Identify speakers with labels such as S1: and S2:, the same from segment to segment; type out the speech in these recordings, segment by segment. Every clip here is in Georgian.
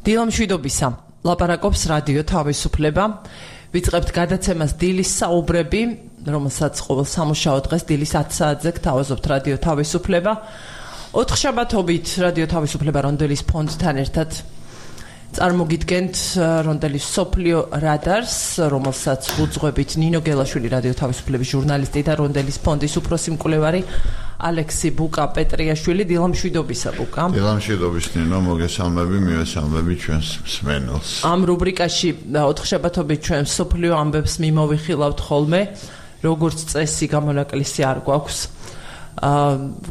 S1: დილამშვიდობისა. ლაპარაკობს რადიო თავისუფლება. ვიწყებთ გადაცემას დილის საუბრები, რომელსაც ყოველ სამუშაო დღეს დილის 10 საათზე გთავაზობთ რადიო თავისუფლება. 4 შაბათობით რადიო თავისუფლება რონდელის ფონდთან ერთად წარმოგიდგენთ რონდელის სოფლიო რადარს, რომელსაც უძღვებით ნინო გელაშვილი რადიო თავისუფლების ჟურნალისტი და რონდელის ფონდის უფროსი მკვლევარი ალექსი ბუკა პეტრიაშვილი. დილამშვიდობისა ბუკა.
S2: დილამშვიდობის ნინო, მოგესალმები, მივესალმები ჩვენს მსმენელს.
S1: ამ რუბრიკაში 4 შაბათობით ჩვენ სოფლიო ამბებს მიმოვიხილავთ ხოლმე, როგორც წესი გამონაკლისი არ გვაქვს.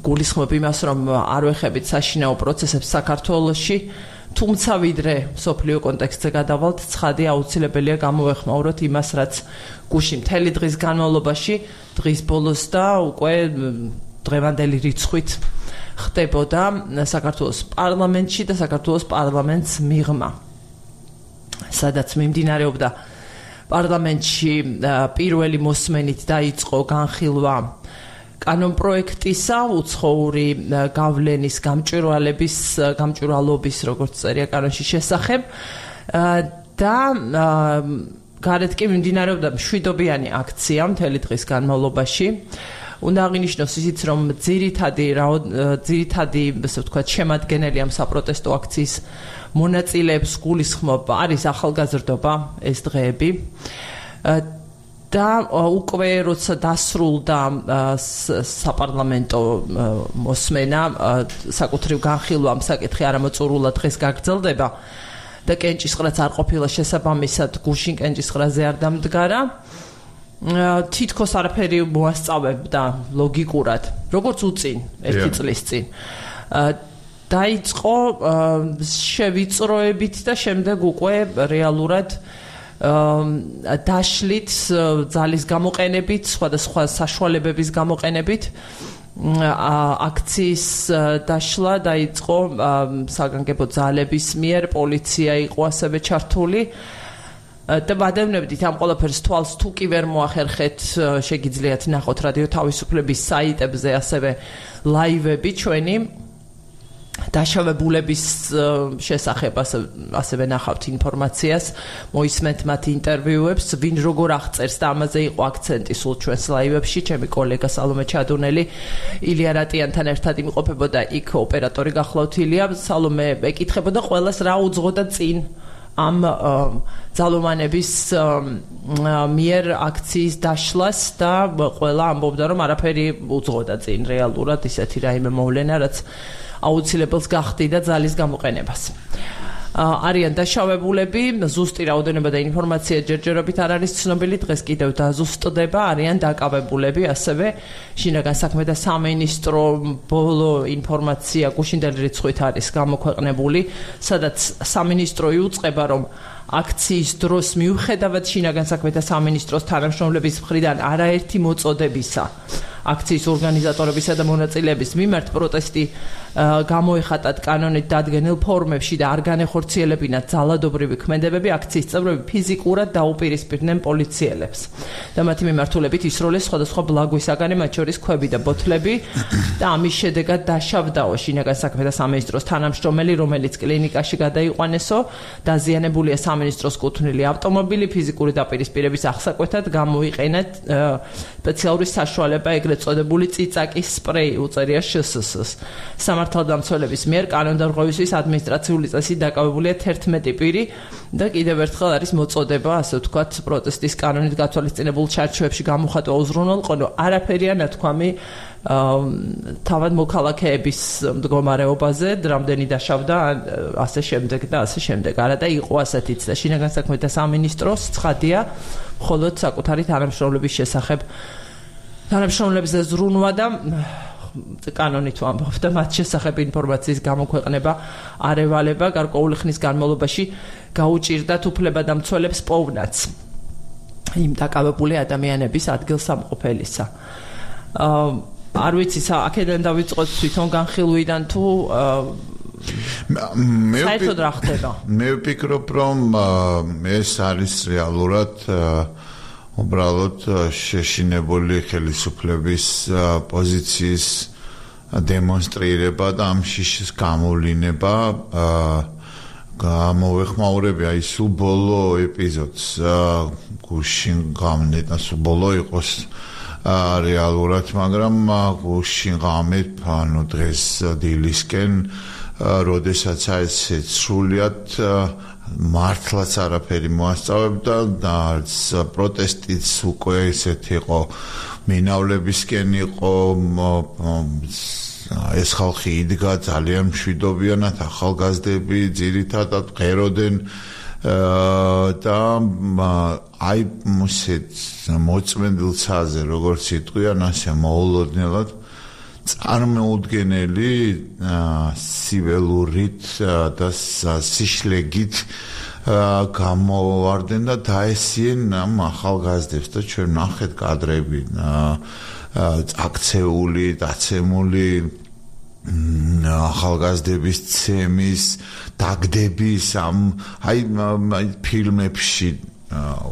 S1: გულისხმობ იმას, რომ არ ვეხებით საშინაო პროცესებს საქართველოში, თუმცა ვიდრე სოფლიო კონტექსტზე გადავალთ, ცხადი აუცილებელია გამოვეხმაუროთ იმას, რაც გუშინ მთელი დღის განმავლობაში, დღის ბოლოს და უკვე დღევანდელი რიცხვით ხდებოდა საქართველოს პარლამენტში და საქართველოს პარლამენტს მიღმა, სადაც მიმდინარეობდა პარლამენტში პირველი მოსმენით დაიწყო განხილვა კანონპროექტისა, უცხოური გავლენის გამჭვირვალობის, როგორც წერია კანონში შესახებ და გარეთ კი მიმდინარეობდა მშვიდობიანი აქცია მთელი დღის განმავლობაში. უნდა აღინიშნოს ისიც, რომ ძირითადი, ასე ვთქვათ, შემადგენელი ამ საპროტესტო აქციის მონაწილეებს გულისხმობ არის ახალგაზრდობა ეს დღეები. და უკვე როცა დასრულდა საპარლამენტო მოსმენა, საკუთრივ განხილვა ამ საკითხი არამოწურულად დღეს გაგრძელდება და კენჭისყრაც არ ყოფილა შესაბამისად გუშინ კენჭისყრაზე არ დამდგარა. თითქოს არაფერი მოასწავებდა ლოგიკურად, როგორც უწინ, ერთი წლის წინ. დაიწყო შევიწროებით და შემდეგ უკვე რეალურად დაშლით ძალის გამოყენებით, სხვადასხვა საშუალებების გამოყენებით აქციის დაშლა დაიწყო საგანგებო ძალების მიერ, პოლიცია იყო ასევე ჩართული და ვადევნებდით ამ ყველაფერს თვალს თუ კი ვერ მოახერხეთ, შეგიძლიათ ნახოთ რადიო თავისუფლების საიტებზე ასევე ლაივები ჩვენი დაშავებულების შესახებ, ასევე ნახავთ ინფორმაციას, მოისმენთ მათ ინტერვიუებს, ვინ როგორ აღწერს და ამაზე იყო აქცენტი სულ ჩვენს ლაივებში. ჩემი კოლეგა სალომე ჩადუნელი ილია რატიანთან ერთად იმყოფებოდა იქ, ოპერატორი გახლავთ ილია. სალომე ეკითხებოდა ყველას რა უძღოდა წინ ამ ძალოვანების მიერ აქციის დაშლას და ყველა ამბობდა, რომ არაფერი უძღოდა წინ რეალურად ისეთი რაიმე მოვლენა, რაც აუცილებელს გახდიდა ძალის გამოყენებას. არიან დაშავებულები, ზუსტი რაოდენობა და ინფორმაცია ჯერჯერობით არ არის ცნობილი, დღეს კიდევ დაზუსტდება, არიან დაკავებულები, ასევე შინაგან საქმეთა სამინისტრო ბოლო ინფორმაცია გუშინდელი რიცხვით არის გამოქვეყნებული, სადაც სამინისტრო იუწყება, რომ აქციის დროს მიუხედავად შინაგან საქმეთა სამინისტროს თანამშრომლების მხრიდან არაერთი მოწოდებისა აქციის ორგანიზატორებისა და მონაწილეების მიმართ პროტესტი გამოეხატათ კანონით დადგენილ ფორმებში და არ განეხორციელებინათ ძალადობრივი ქმედებები, აქციის წევრები ფიზიკურად დაუპირისპირდნენ პოლიციელებს და მათი მიმართულებით ისროლეს სხვადასხვა ბლაგვისაგანი, მათ შორის ქვები და ბოთლები და ამის შედეგად დაშავდაო შინაგან საქმეთა სამინისტროს თანამშრომელი, რომელიც კლინიკაში გადაიყვანესო, დაზიანებულია სამინისტროს კუთვნილი ავტომობილი, ფიზიკური დაპირისპირების აღსაკვეთად გამოიყენეთ სპეციალური საშუალება, ეგრეთ წოდებული წიწაკის სპრეი, უწერია შსს. სამართალდამცველების მიერ კანონდარღვევისთვის ადმინისტრაციული წესით დაკავებულია 11 პირი და კიდევ ერთხელ არის მოწოდება, ასე ვთქვათ, პროტესტის კანონით გათვალისწინებულ ჩარჩოებში გამოხატვა უზრუნველყო, არაფერია ნათქვამი თავად მოქალაქეების მდგომარეობაზე, რამდენი დაშავდა, ასე შემდეგ და ასე შემდეგ. არა და იყო ასეთიც და შინაგან საქმეთა სამინისტროს ცხადია მხოლოდ საკუთარი თანამშრომლების შესახებ თანამშრომლებზე ზრუნვა და კანონით ვამბობ და მათ შესახებ ინფორმაციის გამოქვეყნება არ ევალება, გარკვეული ხნის განმავლობაში გაუჭირდათ უფლებადამცველებს პოვნაც იმ დაკავებული ადამიანების ადგილსამყოფელისა. არ ვიცი, აქედან დავიწყოთ თვითონ განხილვიდან თუ საერთოდ რა ხდება?
S2: მე ვფიქრობ, რომ ეს არის რეალურად უბრალოდ შეშინებული ხელისუფლების პოზიციის დემონსტრირება და ამ შიშის გამოვლინება გამოვეხმაურები აი სულ ბოლო ეპიზოდს გუშინ გამნეტა სულ ბოლო იყოს რეალურად, მაგრამ გუშინ გამეთ ანუ დღეს დილისკენ როდესაც აი სრულიად მართლაც არაფერი მოასწავებდა და პროტესტიც უკვე ესეთი იყო მინავლებისკენ იყო ეს ხალხი იდგა ძალიან მშვიდობიანად ახალგაზრდები ძირითადად ღეროდენ და აი მოწმენდილ ცაზე როგორც იტყვიან ასე მოულოდნელად წარმოუდგენელი სიველურით და სიშლეგით გამოვარდნენ და დაესიენ ამ ახალგაზრდებს და ჩვენ ნახეთ კადრები აქცეული, დაცემული ახალგაზრდების ცემის, დაგდების ამ აი ფილმებში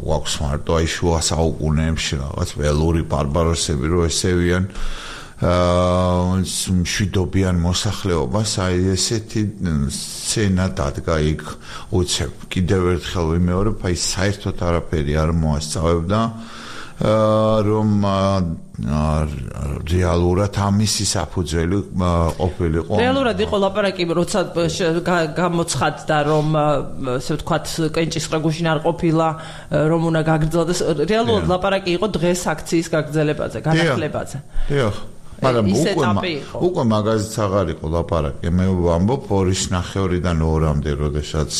S2: გვაქვს მარტო აი შუა საუკუნეებში რაღაც ველური ბარბაროსები რო ესევიან მშვიდობიან მოსახლეობას აი ესეთი სცენა დადგა იქ უცებ კიდევ ერთხელ ვიმეორებ აი საერთოდ არაფერი არ მოასწავებდა რომ რეალურად ამისი საფუძველი ყოფილიყო.
S1: რეალურად იყო ლაპარაკი, როცა გამოცხადდა, რომ ასე ვთქვათ, კენჭისყრა გუშინ არ ყოფილა, რომ უნდა გაგრძელდეს. რეალურად ლაპარაკი იყო დღეს აქციის გაგრძელებაზე, განახლებაზე.
S2: დიახ. მაგრამ უკვე მაგაზიც აღარ იყო ლაპარაკი. მე ვამბობ 2:30-დან 2-მდე, როდესაც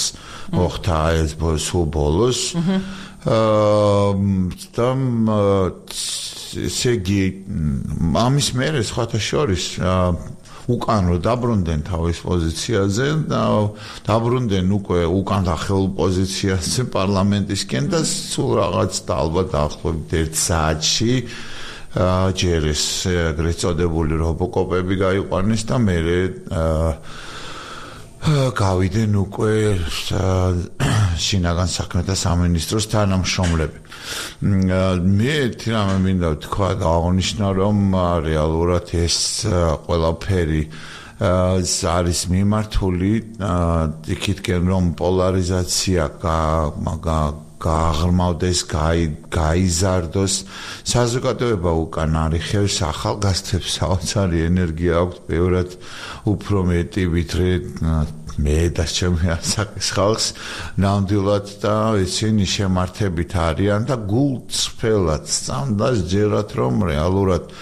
S2: მოხდა ეს სულ ბოლოს. და სეგი ამის მერე სხვათა შორის უკან რო დაბრუნდნენ თავის პოზიციაზე და დაბრუნდნენ უკვე უკან დახეულ პოზიციაზე პარლამენტისკენ და სულ რაღაც და ალბათ დაახლოებით 1 საათში ჯერ ეს ეგრეთ წოდებული რობოკოპები გაიყვანეს და მერე გავიდნენ უკვე შინაგან საქმეთა სამინისტროს თანამშრომლები. მე თირამე მინდა ვთქვა და აღნიშნა რომ რეალურად ეს ყველაფერი არის მიმართული იქითკენ რომ პოლარიზაცია გააღრმავდეს, გაიზარდოს საზოგადოება უკან არიხევს ახალგაზრდებს საოცარი ენერგია აქვს ბევრად უფრო მეტი ვიდრე მე და ჩემი ასაკის ხალხს ნამდვილად და ისინი შემართებით არიან და გულწრფელად სწამდას ჯერათ რომ რეალურად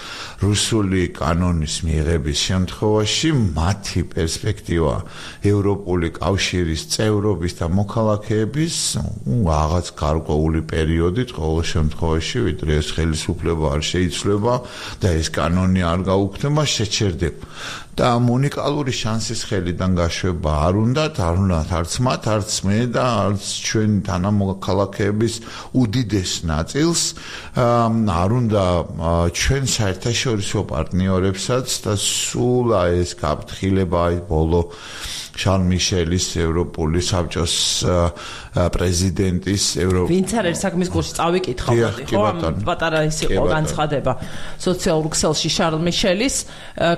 S2: რუსული კანონის მიღების შემთხვევაში მათი პერსპექტივა ევროპული კავშირის წევრობის და მოქალაქეების რაღაც გარკვეული პერიოდით ყოველ შემთხვევაში ვიდრე ეს ხელისუფლება არ შეიცვლება და ეს კანონი არ გაუქმდება შეჩერდება და ამ უნიკალური შანსის ხელიდან გაშვება არ უნდა არც მათ არც მე და არც ჩვენ თანამოქალაქეების უდიდეს ნაწილს არ უნდა ჩვენ საერთაშორისო პარტნიორებსაც და სულ ეს გაფრთხილება ბოლო შარლ მიშელის ევროპული საბჭოს პრეზიდენტის ვინც არის საქმის კურსში წავიკითხავ ხო პატარა ის იყო განცხადება სოციალურ ქსელში შარლ მიშელის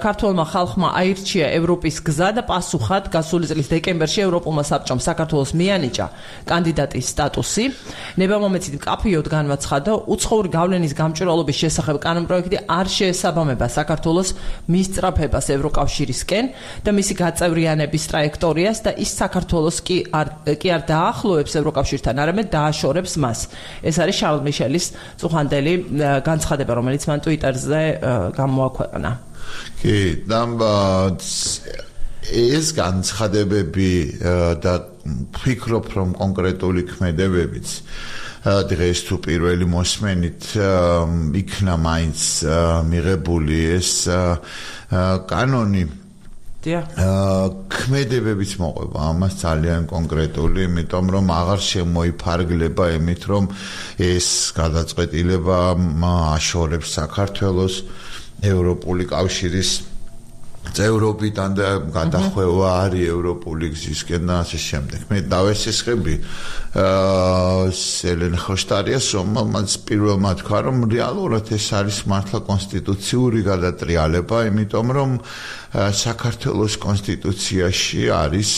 S2: ქართულმა ხალხმა აირჩია ევროპის გზა და პასუხად გასული წლის დეკემბერში ევროპულმა საბჭომ საქართველოს მიანიჭა კანდიდატის სტატუსი ნებამომეცით მკაფიოდ განაცხადა უცხოური გავლენის გამჭვირვალობის შესახებ კანონპროექტი არ შეესაბამება საქართველოს მისწრაფებას ევროკავშირისკენ და მისი გაწევრიანების ტრაექტორიას და ის საქართველოს კი არ დაახლოებს ევროკავშირთან, არამედ დააშორებს მას. ეს არის შარლ მიშელის წუხანდელი განცხადება, რომელიც მან ტვიტერზე გამოაქვეყნა. კი, და ეს განცხადებები და ვფიქრობ, რომ კონკრეტული ქმედებებიც დღეს თუ პირველი მოსმენით იქნა მაინც მიღებული ეს კანონი ქმედებებიც მოყვება ამას ძალიან კონკრეტული, იმიტომ რომ აღარ შემოიფარგლება იმით, რომ ეს გადაწყვეტილება აშორებს საქართველოს ევროპული კავშირის წევრობიდან და გადახვევა არის ევროპული გზისკენ და ასე შემდეგ. მე დავესესხები ელენ ხოშტარიას, რომელმაც პირველმა თქვა, რომ რეალურად ეს არის მართლა კონსტიტუციური გადატრიალება, იმიტომ რომ საქართველოს კონსტიტუციაში არის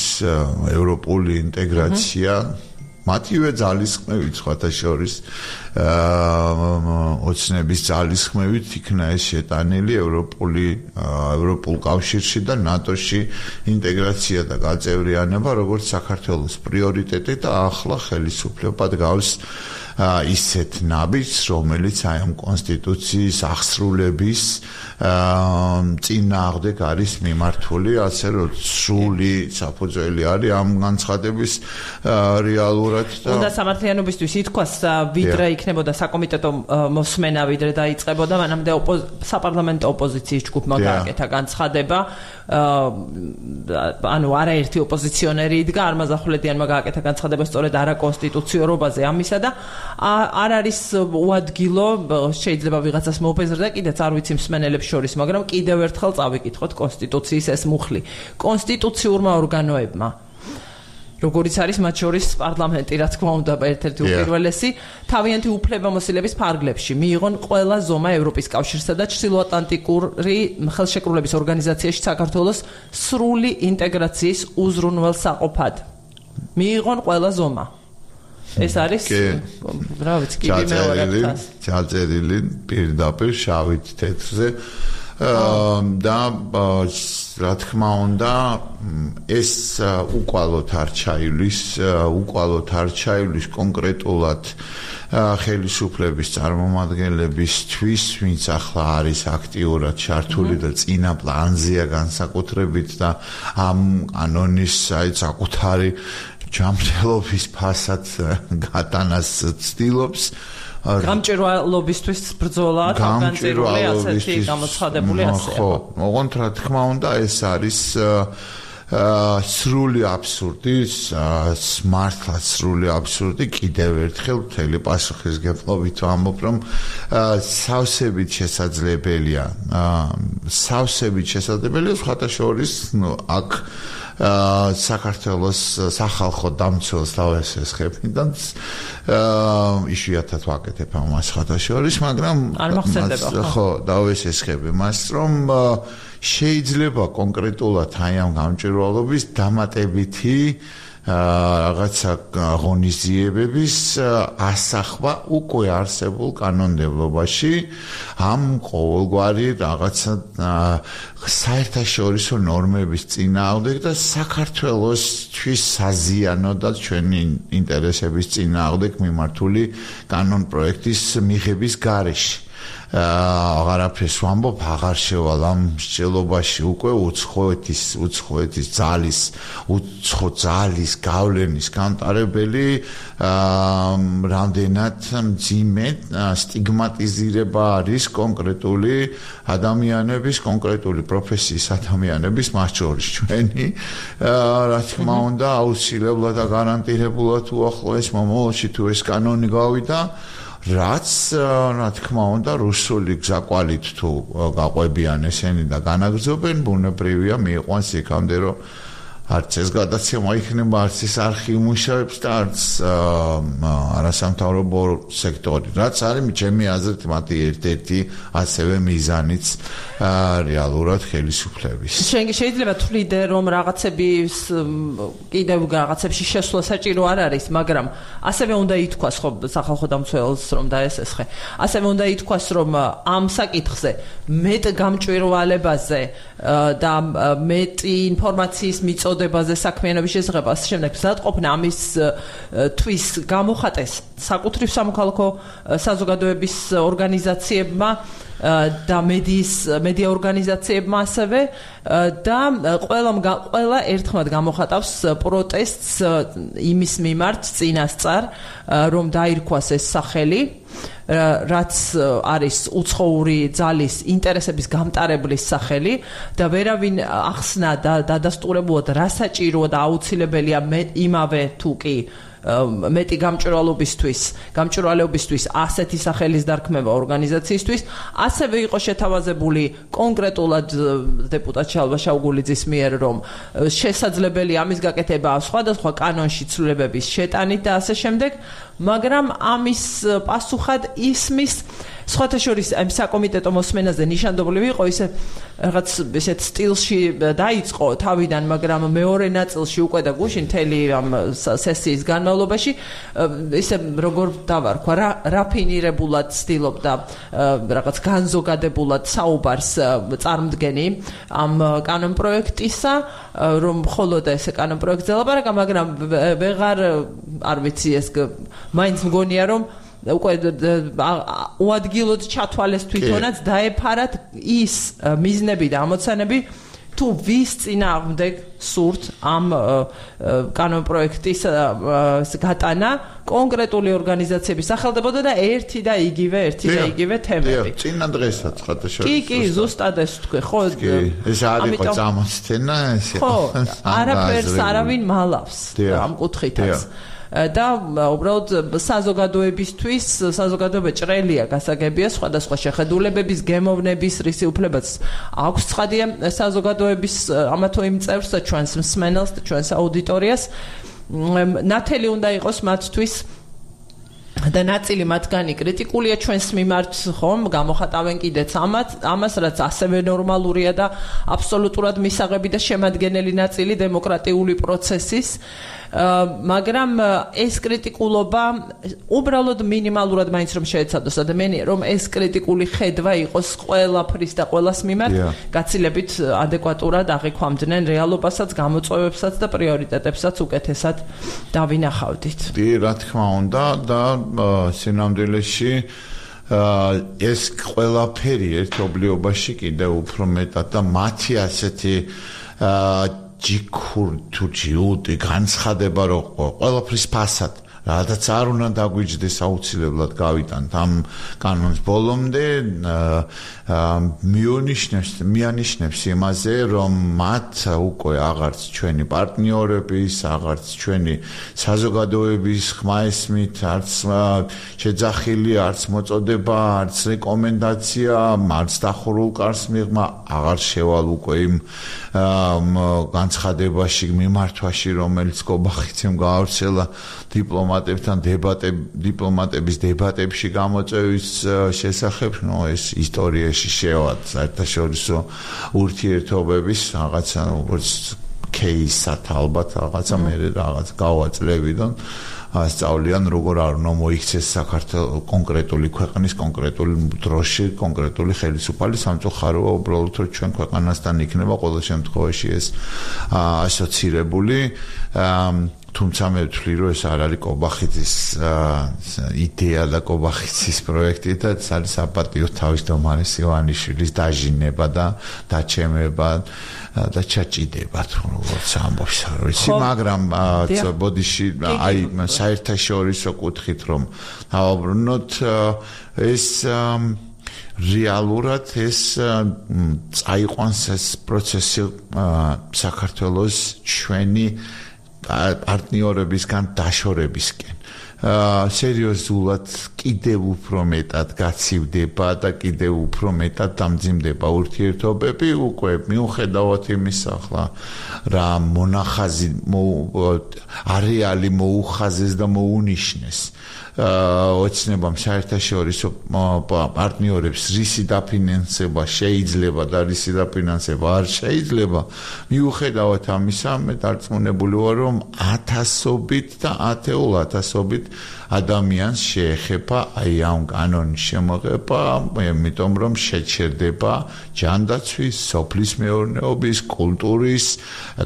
S2: ევროპული ინტეგრაცია მათივე ძალისხმევით სხვათა შორის ოცნების ძალისხმევით იქნა ეს შეტანილი ევროპულ კავშირში და ნატოში ინტეგრაცია და გაწევრიანება როგორც საქართველოს პრიორიტეტი და ახლა ხელისუფლება დგავს ისეთ ნაბიჯს, რომელიც აი ამ კონსტიტუციის აღსრულების წინააღმდეგ არის მიმართული, ასე რომ სრული საფუძველი არის ამ განცხადების რეალურად და
S1: უნდა სამართლიანობისთვის ითქვას, ვიდრე იქნებოდა საკომიტეტო მოსმენა, ვიდრე დაიწყებოდა, მანამდე საპარლამენტო ოპოზიციის ჯგუფმა გააკეთა განცხადება, ანუ არაერთი ოპოზიციონერი იდგა, არმაზახვლედიანმა გააკეთა განცხადება სწორედ არაკონსტიტუციურობაზე ამისა და არ არის უადგილო, შეიძლება ვიღაცას მოუპეზრდა, კიდეც არ ვიცი მსმენელებს შორის, მაგრამ კიდევ ერთხელ წავიკითხოთ კონსტიტუციის ეს მუხლი. კონსტიტუციურმა ორგანოებმა, როგორც არის მათ შორის პარლამენტი, რა თქმა უნდა, ერთ-ერთი უპირველესი, თავიანთი უფლებამოსილების ფარგლებში მიიღონ ყველა ზომა ევროპის კავშირსა და ჩრდილოატლანტიკური ხელშეკრულების ორგანიზაციაში საქართველოს სრული ინტეგრაციის უზრუნველსაყოფად. მიიღონ ყველა ზომა. ეს არის რა ვიცი, კიდე მეორე
S2: ჩაწერილი პირდაპირ შავით თეთრზე და რა თქმა უნდა ეს უკვალოდ არ ჩაივლის კონკრეტულად ხელისუფლების წარმომადგენლებისთვის, ვინც ახლა არის აქტიურად ჩართული და წინა პლანზეა განსაკუთრებით და ამ კანონის საკუთარი ჯანმრთელობის ფასად გატანას ცდილობს.
S1: გამჭვირვალობისთვის ბრძოლა, განწირული ასეთი გამოცხადებული ასე.
S2: ხო, ოღონდ რა თქმა უნდა ეს არის სრული აბსურდი, მართლა სრული აბსურდი, კიდევ ერთხელ მთელი პასუხისგებლობით ვამბობ, რომ სავსებით შესაძლებელია, სხვათა შორის, აქ საქართველოს სახალხო დამცველს დავესესხებიდან იშვიათად ვაკეთებ ამას სხვათა შორის, მაგრამ ხო დავესესხები მას, რომ შეიძლება კონკრეტულად აი ამ გამჭვირვალობის დამატებითი რაღაცა ღონისძიებების ასახვა უკვე არსებულ კანონმდებლობაში ამ ყოველგვარი რაღაცა საერთაშორისო ნორმების წინააღმდეგ და საქართველოსთვის საზიანო და ჩვენი ინტერესების წინააღმდეგ მიმართული კანონპროექტის მიღების გარეშე. აღარაფერს ვამბობ, აღარ შევალ ამ მსჯელობაში უკვე უცხოეთის ძალის გავლენის გამტარებელი რამდენად მძიმე სტიგმატიზირება არის კონკრეტული ადამიანების, კონკრეტული პროფესიის ადამიანების, მათ შორის ჩვენი, რა თქმა უნდა, აუცილებლად და გარანტირებულად უახლოეს მომავალში თუ ეს კანონი გავიდა, რაც რა თქმა უნდა რუსული გზაკვალით თუ გაყვებიან ესენი და განაგრძობენ, ბუნებრივია მიიყვანს იქამდე, რომ არც ეს გადაცემა იქნება, არც ეს არხი იმუშავებს და არც არასამთავრობო სექტორი, რაც არის ჩემი აზრით მათი ერთ-ერთი ასევე მიზანიც რეალურად ხელისუფლების.
S1: შეიძლება თვლიდე, რომ რაღაცების კიდევ რაღაცებში შესვლა საჭირო არ არის, მაგრამ ასევე უნდა ითქვას, ხო, სახალხო დამცველს რომ დაესესხე. ასევე უნდა ითქვას, რომ ამ საკითხზე მეტ გამჭვირვალებაზე და მეტი ინფორმაციის მიწოდებაზე საქმიანობის შესახებ ასე შემდეგ მზადყოფნა ამის თვის გამოხატეს საკუთრივ სამოქალაქო საზოგადოების ორგანიზაციებმა და მედია ორგანიზაციებმა ასევე და ყველა ერთხმად გამოხატავს პროტესტს იმის მიმართ წინასწარ, რომ დაირქვას ეს სახელი, რაც არის უცხოური ძალის ინტერესების გამტარებლის სახელი და ვერავინ ახსნა და დადასტურებულად რა საჭიროა და აუცილებელია იმავე თუ კი მეტი გამჭვირვალეობისთვის ასეთი სახელის დარქმევა ორგანიზაციისთვის, ასევე იყო შეთავაზებული კონკრეტულად დეპუტატ შალვა შაუგულიძის მიერ, რომ შესაძლებელი ამის გაკეთება სხვადასხვა კანონში ცვლილებების შეტანით და ასე შემდეგ, მაგრამ ამის პასუხად ისმის სხვათა შორის ამ საკომიტეტო მოსმენაზე ნიშანდობლივი იყო ისე რაღაც ესეთ სტილში დაიწყო თავიდან, მაგრამ მეორე ნაწილში უკვე და გუშინ მთელი ამ სესიის განმავლობაში ისე როგორ დავარქვა, რაფინირებულად ცდილობდა რაღაც განზოგადებულად საუბარს წარმდგენი ამ კანონპროექტისა, რომ მხოლოდ ესე კანონპროექტზე ლაპარაკა, მაგრამ ვეღარ არ ვიცი ეს მაინც მგონია რომ უკვე უადგილოდ ჩათვალეს თვითონაც დაეფარათ ის მიზნები და ამოცანები თუ ვის წინააღმდეგ სურთ ამ კანონპროექტის გატანა კონკრეტული ორგანიზაციების სახელდებოდა და ერთი და იგივე თემები.
S2: წინა დღესაც ხათა შორის.
S1: კი, ზუსტად ეს თქვი, ხო?
S2: ეს არ იყო წამოსთენა, ეს იყო.
S1: ხო, არაფერს არავინ მალავს ამ კუთხითაც. და უბრალოდ საზოგადოება ჭრელია, გასაგებია სხვადასხვა შეხედულებების, გემოვნების, რისი უფლებაც აქვს ცხადია საზოგადოების ამა თუ იმ წევრს და ჩვენს მსმენელს და ჩვენს აუდიტორიას. ნათელი უნდა იყოს მათთვის და ნაწილი მათგანი კრიტიკულია ჩვენს მიმართ, ხომ, გამოხატავენ კიდეც ამას, რაც ასევე ნორმალურია და აბსოლუტურად მისაღები და შემადგენელი ნაწილი დემოკრატიული პროცესის. მაგრამ ეს კრიტიკულობა უბრალოდ მინიმალურად მაინც რომ შეეცადოს ადამიანია, რომ ეს კრიტიკული ხედვა იყოს ყველაფრის და ყველას მიმართ გაცილებით ადეკვატურად აღიქვამდნენ რეალობასაც, გამოწვევებსაც და პრიორიტეტებსაც უკეთესად დავინახავდით.
S2: კი, რა თქმა უნდა და სინამდვილეში ეს ყველაფერი ერთობლიობაში კიდევ უფრო მეტად და მათი ასეთი ჯიქურ თუ ჯიუტი განცხადება რომ ყველაფრის ფასად რადგან არ უნდა დაგვიჯდეს აუცილებლად გავიტანთ ამ კანონს ბოლომდე მიანიშნებს იმაზე რომ მათ უკვე აღარც ჩვენი პარტნიორების აღარც ჩვენი საზოგადოების ხმა ესმით არც შეძახილი არც მოწოდება არც რეკომენდაცია არც დახურულ კარს მიღმა აღარ შევალ უკვე იმ განცხადებაში მიმართვაში რომელიც გობახიცემ გაავრცელა დიპლომატების დებატებში გამოწვევის შესახებ, ეს ისტორიაში შევად საერთაშორისო ურთიერთობების რაღაცა როგორც кейსად ალბათ რაღაცა მე რაღაც გავაწლევიდან ასწავლიან როგორ არ უნდა მოიქცეს საქართველოს კონკრეტული ქვეყნის კონკრეტული დროში კონკრეტული ხელისუფალი სამწუხაროა უბრალოდ რომ ჩვენ ქვეყანასთან იქნება ყოველ შემთხვევაში ეს ასოცირებული თუმცა მე ვთვლი რომ ეს არ არის კობახიძის იდეა და კობახიძის პროექტი და ეს არის საპატიო თავმჯდომარის ივანიშვილის დაჟინება და დაჩემება და ჩაჭიდება როგორც ამბობს ვიცი მაგრამ ბოდიში აი საერთაშორისო კუთხით რომ დავაბრუნოთ ეს რეალურად ეს წაიყვანს ეს პროცესი საქართველოს ჩვენი პარტნიორებისგან დაშორებისკენ სერიოზულად კიდევ უფრო მეტად გაცივდება და კიდევ უფრო მეტად დამძიმდება ურთიერთობები უკვე მიუხედავად იმისა ახლა რა მონახაზი არეალი მოუხაზეს და მოუნიშნეს ოცნებამ საერთაშორისო პარტნიორებს რისი დაფინანსება შეიძლება და რისი დაფინანსება არ შეიძლება მიუხედავად ამისა მე დარწმუნებული ვარ რომ ათასობით და ათეულათასობით ადამიანს შეეხება აი ამ კანონის შემოღება იმიტომ რომ შეჩერდება ჯანდაცვის, სოფლის მეურნეობის, კულტურის,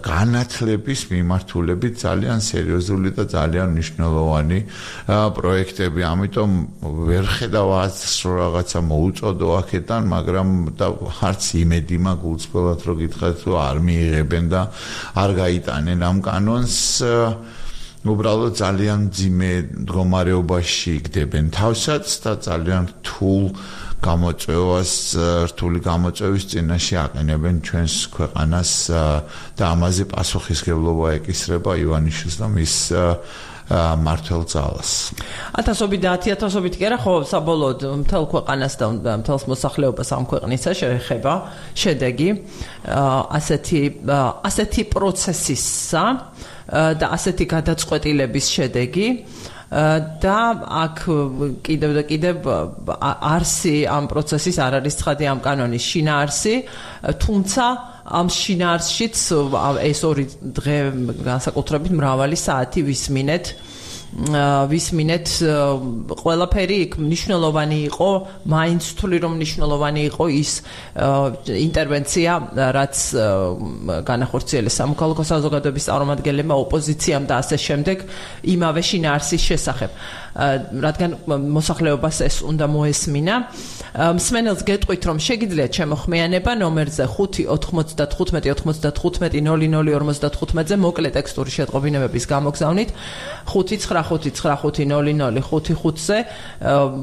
S2: განათლების მიმართულებით ძალიან სერიოზული და ძალიან მნიშვნელოვანი პროექტები. ამიტომ ვერ ხედავ რომ რაღაცა მოუწოდო აქედან, მაგრამ არც იმედი მაქვს უცბად რომ გითხრათ რომ არ მიიღებენ და არ გაიტანენ ამ კანონს. უბრალოდ ძალიან ძიმე მდგომარეობაში იქდებენ თავსაც და ძალიან რთული გამოწვევის წინაშე აყენებენ ჩვენს ქვეყანას და ამაზე პასუხისმგებლობა ეკისრება ივანიშვილს და მის მართლ ძალას.
S1: 1000-ობით და 10000-ობით კი არა, ხო, საბოლოოდ მთელ ქვეყანას და მთელს მოსახლეობას ამ ქვეყნისა შეეხება შედეგი ასეთი პროცესისა და ასეთი გადაწყვეტილების შედეგი და აქ კიდევ და კიდევ არსი ამ პროცესის არ არის ცხადი ამ კანონის შინაარსი, თუმცა ამ შინაარსშიც ეს 2 დღე განსაკუთრებით მრავალი საათი ვისმინეთ ყველაფერი იქ მნიშვნელოვანი იყო, მაინც ვთვლი რომ მნიშვნელოვანი იყო ის ინტერვენცია, რაც განახორციელეს სამოქალაქო საზოგადოების წარმომადგენლებმა ოპოზიციამ და ასე შემდეგ იმავე შინაარსის შესახებ. რადგან მოსახლეობას ეს უნდა მოესმინა. მსმენელს გეტყვით, რომ შეგიძლიათ შემოხმიანება ნომერზე 5-95-95-00-00-55-ზე მოკლე ტექსტური შეტყობინებების გამოგზავნით 5-9-5-9-0-0-5-5-ზე.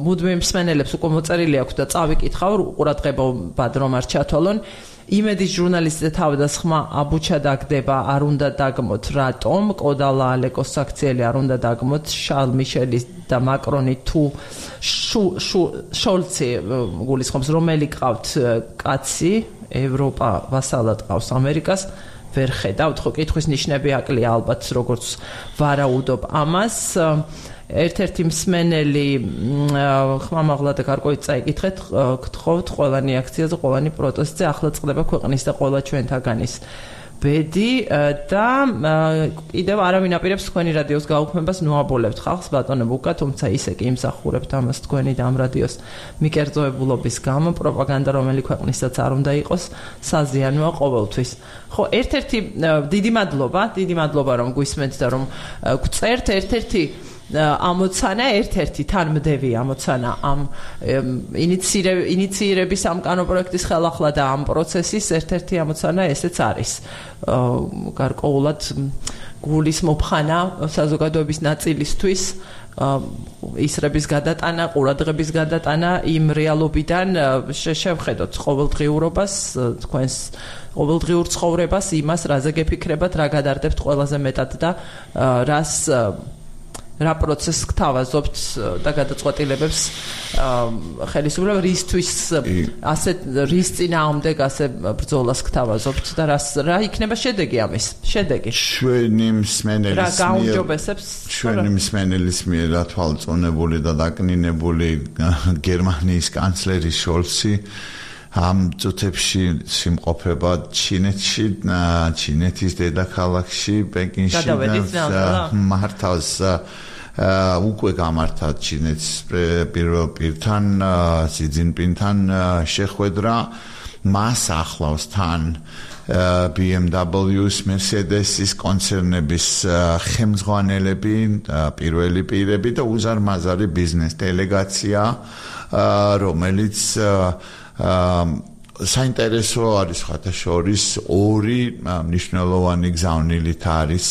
S1: მუდმივ მსმენელებს უკვე მოწერილი აქვს და წავიკითხავ, ყურადღებობად რომ არ ჩათვალონ. იმედის ჟურნალისტთა თავდასხმა აბუჩა დაგდება, არ უნდა დაგმოთ რატომ, კოდალა ალეკოს საქციელი არ უნდა დაგმოთ, შარლ მიშელის და მაკრონი თუ შოლცი გულისხმობს, რომელი ყავთ კაცი, ევროპა ვასალად ყავს ამერიკას, ვერ ხედავთ, ხო კითხვის ნიშნები აკლია ალბათ, როგორც ვარაუდობ ამას. ერთ-ერთი მსმენელი ხმამაღლა და გარკვევით წაიკითხეთ, გთხოვთ ყველანი აქციაზე, ყველანი პროტესტზე, ახლა წყდება ქვეყნის და ყველა ჩვენთაგანის ბედი და კიდევ არავინ აპირებს თქვენი რადიოს გაუქმებას, ნუაბოლებთ ხალხს ბატონო ბუკა, თუმცა ისე კი იმსახურებთ ამას თქვენი და ამ რადიოს მიკერძოებულობის გამო, პროპაგანდა რომელი ქვეყნისაც არ უნდა იყოს, საზიანოა ყოველთვის. ხო, ერთ-ერთი დიდი მადლობა რომ გვისმენთ და რომ გწერთ, ერთ-ერთი ამოცანა, ერთ-ერთი თანმდევი ამოცანა ამ ინიცირების ამ კანონპროექტის ხელახლა და ამ პროცესის ერთ-ერთი ამოცანა ესეც არის. გარკვეულად გულის მოფხანა საზოგადოების ნაწილისთვის ისრების გადატანა, ყურადღების გადატანა იმ რეალობიდან შევხედოთ ყოველდღიურობას, თქვენს ყოველდღიურ ცხოვრებას, იმას, რაზე გეფიქრებათ, რა გადარდებთ ყველაზე მეტად და რა პროცესს გთავაზობთ და გადაწყვეტილებებს ხელისუფლება რისთვის რის წინააღმდეგ ასე ბრძოლას გთავაზობთ და რა იქნება შედეგი ამის? შედეგი
S2: ჩვენი მსმენელის მიერ თვალწონებული და დაკნინებული გერმანიის კანცლერი შოლცი ამ წუთებში სიმყოფება ჩინეთში, ჩინეთის დედაქალაქში, პეკინში და მართავს უკვე გამართა ჩინეთის პირველ პირთან, სი ძინპინთან შეხვედრა, მას ახლავს თან BMW-ს, Mercedes-ის კონცერნების ხელმძღვანელები, პირველი პირები და უზარმაზარი ბიზნეს დელეგაცია, რომელიც საინტერესო არის ხათაშორის 2 მნიშვნელოვანი გზავნილით არის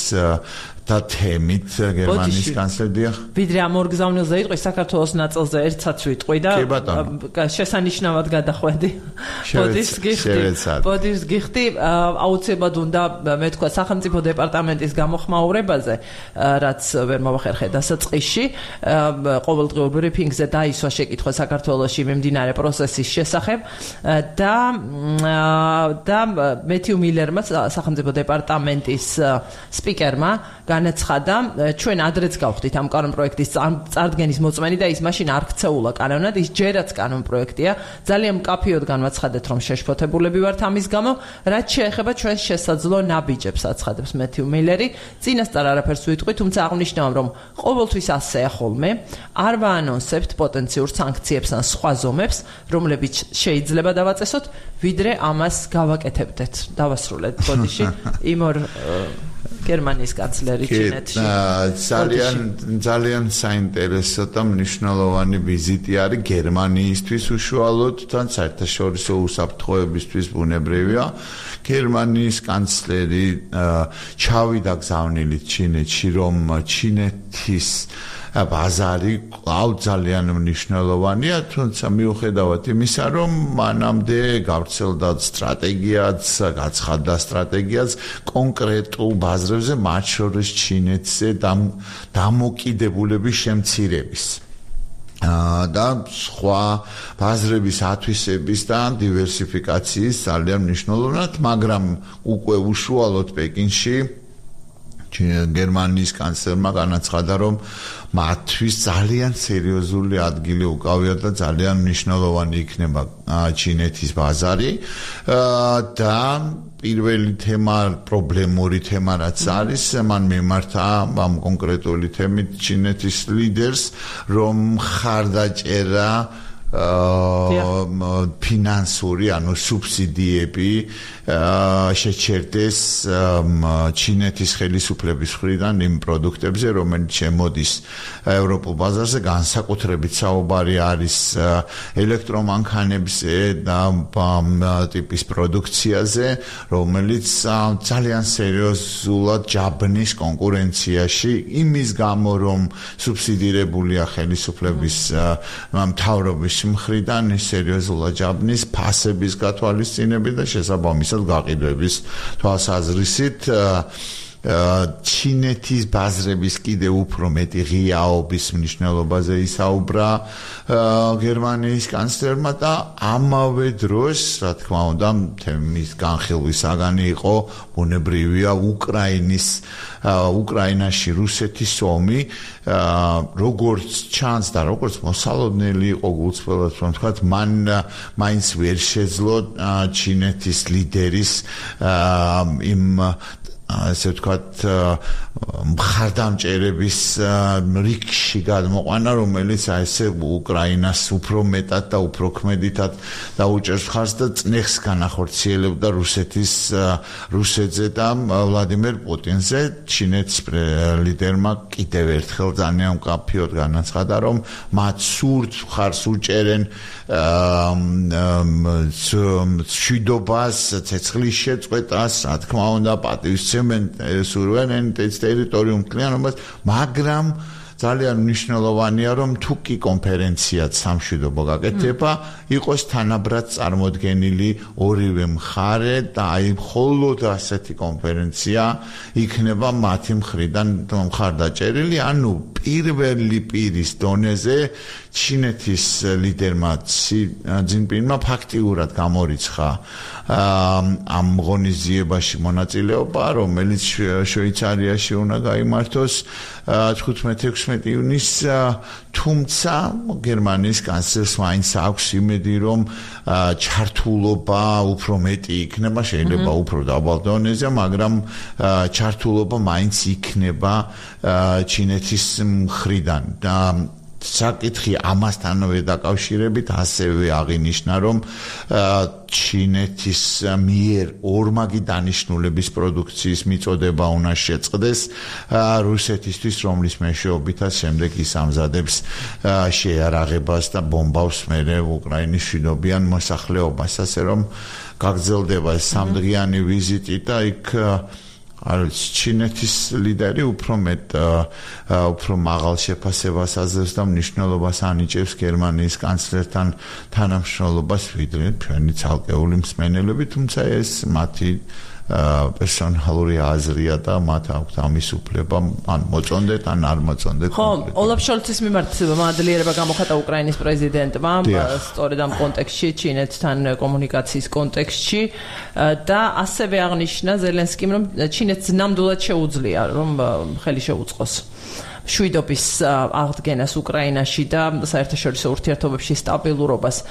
S2: და თემით გერმანიის კანცლერია.
S1: ვიდრე ამ ორ გზავნილზე იტყვი, საქართველოს ნაწილზე ერთსაც ვიტყვი და შესანიშნავად გადახვედი. ბოდიშს გიხდი, აუცილებლად უნდა მე თქვა სახელმწიფო დეპარტამენტის გამოხმაურებაზე, რაც ვერ მოვახერხე დასაწყისში, ყოველდღიურ ბრიფინგზე დაისვა შეკითხვა საქართველოში მიმდინარე პროცესის შესახებ და მეთიუ მილერმა, სახელმწიფო დეპარტამენტის სპიკერმა განაცხადა, ჩვენ ადრეც გავხდით ამ კანონპროექტის წარდგენის მოწმენი და ის მაშინ არ ქცეულა კანონად, ის ჯერაც კანონპროექტია. ძალიან მკაფიოდ განვაცხადეთ, რომ შეშფოთებულები ვართ ამის გამო, რაც შეეხება ჩვენს შესაძლო ნაბიჯებს, აცხადებს მეთიუ მილერი. წინასწარ არაფერს ვიტყვი, თუმცა აღნიშნავ, რომ ყოველთვის ასეა ხოლმე, არ ვაანონსებთ პოტენციურ სანქციებს ან სხვა ზომებს, რომლებიც შეიძლება დავაწესოთ, ვიდრე ამას გავაკეთებდეთ. დავასრულეთ ბოდიში იმ ორ გერმანიის კანცლერი ჩინეთში.
S2: ძალიან საინტერესო და მნიშვნელოვანი ვიზიტი არის გერმანიისთვის უშუალოდ და საერთაშორისო უსაფრთხოებისთვის ბუნებრივია. გერმანიის კანცლერი ჩავიდა გზავნილით ჩინეთში, რომ ჩინეთის ბაზარი კვლავ ძალიან მნიშვნელოვანია, თუმცა მიუხედავად იმისა, რომ მანამდე გავრცელდა სტრატეგიაც, გაცხადდა სტრატეგიაც კონკრეტულ ბაზრებზე, მათ შორის ჩინეთზე დამოკიდებულების შემცირების. და სხვა ბაზრების ათვისების და დივერსიფიკაციის ძალიან მნიშვნელოვნად, მაგრამ უკვე უშუალოდ პეკინში გერმანიის კანცლერმა განაცხადა, რომ მათთვის ძალიან სერიოზული ადგილი უკავიათ და ძალიან მნიშვნელოვანი იქნება ჩინეთის ბაზარი და პირველი თემა, პრობლემური თემა რაც არის, მან მიმართა ამ კონკრეტული თემით ჩინეთის ლიდერს, რომ ხარდაჭერა ფინანსური, ანუ სუბსიდიები შეჩერდეს ჩინეთის ხელისუფლების მხრიდან იმ პროდუქტებზე, რომელიც შემოდის ევროპულ ბაზარზე, განსაკუთრებით საუბარი არის ელექტრომანქანებზე და ტიპის პროდუქციაზე, რომელიც ძალიან სერიოზულად ჯაბნის კონკურენციაში, იმის გამო, რომ სუბსიდირებულია ხელისუფლების მთავრობის მხრიდან სერიოზულად ჯაბნის ფასების გათვალისწინებით და შესაბამისად გაყიდვების თვალსაზრისით ჩინეთის ბაზრების კიდევ უფრო მეტი ღიაობის მნიშვნელობაზე ისაუბრა გერმანიის კანცლერმა და ამავე დროს, რა თქმა უნდა, თემის განხილვის საგანი იყო ბუნებრივია უკრაინაში რუსეთის ომი, როგორც ჩანს და როგორც მოსალოდნელი იყო გულწრფელად, რომ თქვათ, მან მაინც ვერ შეძლო ჩინეთის ლიდერის იმ ასე ვთქვათ მხარდამჭერების რიგში გადმოყვანა, რომელიც ესე უკრაინას უფრო მეტად და უფრო ქმედითად დაუჭერს მხარს და წნეხს განახორციელებდა რუსეთზე და ვლადიმერ პუტინზე. ჩინეთის ლიდერმა კიდევ ერთხელ ძალიან მკაფიოდ განაცხადა, რომ მათ სურთ მხარს უჭერენ მშვიდობას, ცეცხლის შეწყვეტას, რა თქმა უნდა, პატივისცემენ სუვერენიტეტს, ტერიტორიულ მთლიანობას, მაგრამ ძალიან მნიშვნელოვანია, რომ თუ კი კონფერენციაც სამშვიდობო გაკეთება, იყოს თანაბრად წარმოდგენილი ორივე მხარე და აი მხოლოდ ასეთი კონფერენცია იქნება მათი მხრიდან მხარდაჭერილი, ანუ პირველი პირის დონეზე ჩინეთის ლიდერმა ში ძინპინმა ფაქტიურად გამორიცხა ამ ღონისძიებაში მონაწილეობა, რომელიც შვეიცარიაში უნდა გაიმართოს 15-16 ივნისს, თუმცა გერმანიის კანცლერს მაინც აქვს იმედი, რომ ჩართულობა უფრო მეტი იქნება, შეიძლება უფრო დაბალ დონეზე, მაგრამ ჩართულობა მაინც იქნება ჩინეთის მხრიდან და საკითხი ამასთანავე დაკავშირებით ასევე აღინიშნა, რომ ჩინეთის მიერ ორმაგი დანიშნულების პროდუქციის მიწოდება უნდა შეწყდეს რუსეთისთვის, რომლის მეშვეობითაც შემდეგ ის ამზადებს შეიარაღებას და ბომბავს მერე უკრაინის მშვიდობიან მოსახლეობას, ასე რომ გაგრძელდება სამდღიანი ვიზიტი და იქ არის ჩინეთის ლიდერი უფრო მაღალ შეფასებას აძლევს და მნიშვნელობას ანიჭებს გერმანიის კანცლერთან თანამშრომლობას, ვიდრე ჩვენი ცალკეული მსმენელები, თუმცა ეს მათი პერსონალური აზრია და მათ აქვთ ამის უფლება, ან მოწონდეთ, ან არ მოწონდეთ.
S1: ხო, ოლაფ შოლცის მიმართ მადლიერება გამოხატა უკრაინის პრეზიდენტმა სწორედ ამ კონტექსტში, ჩინეთთან კომუნიკაციის კონტექსტში და ასევე აღნიშნა ზელენსკიმ, რომ ჩინეთს ნამდვილად შეუძლია, რომ ხელი შეუწყოს მშვიდობის აღდგენას უკრაინაში და საერთაშორისო ურთიერთობებში სტაბილურობას.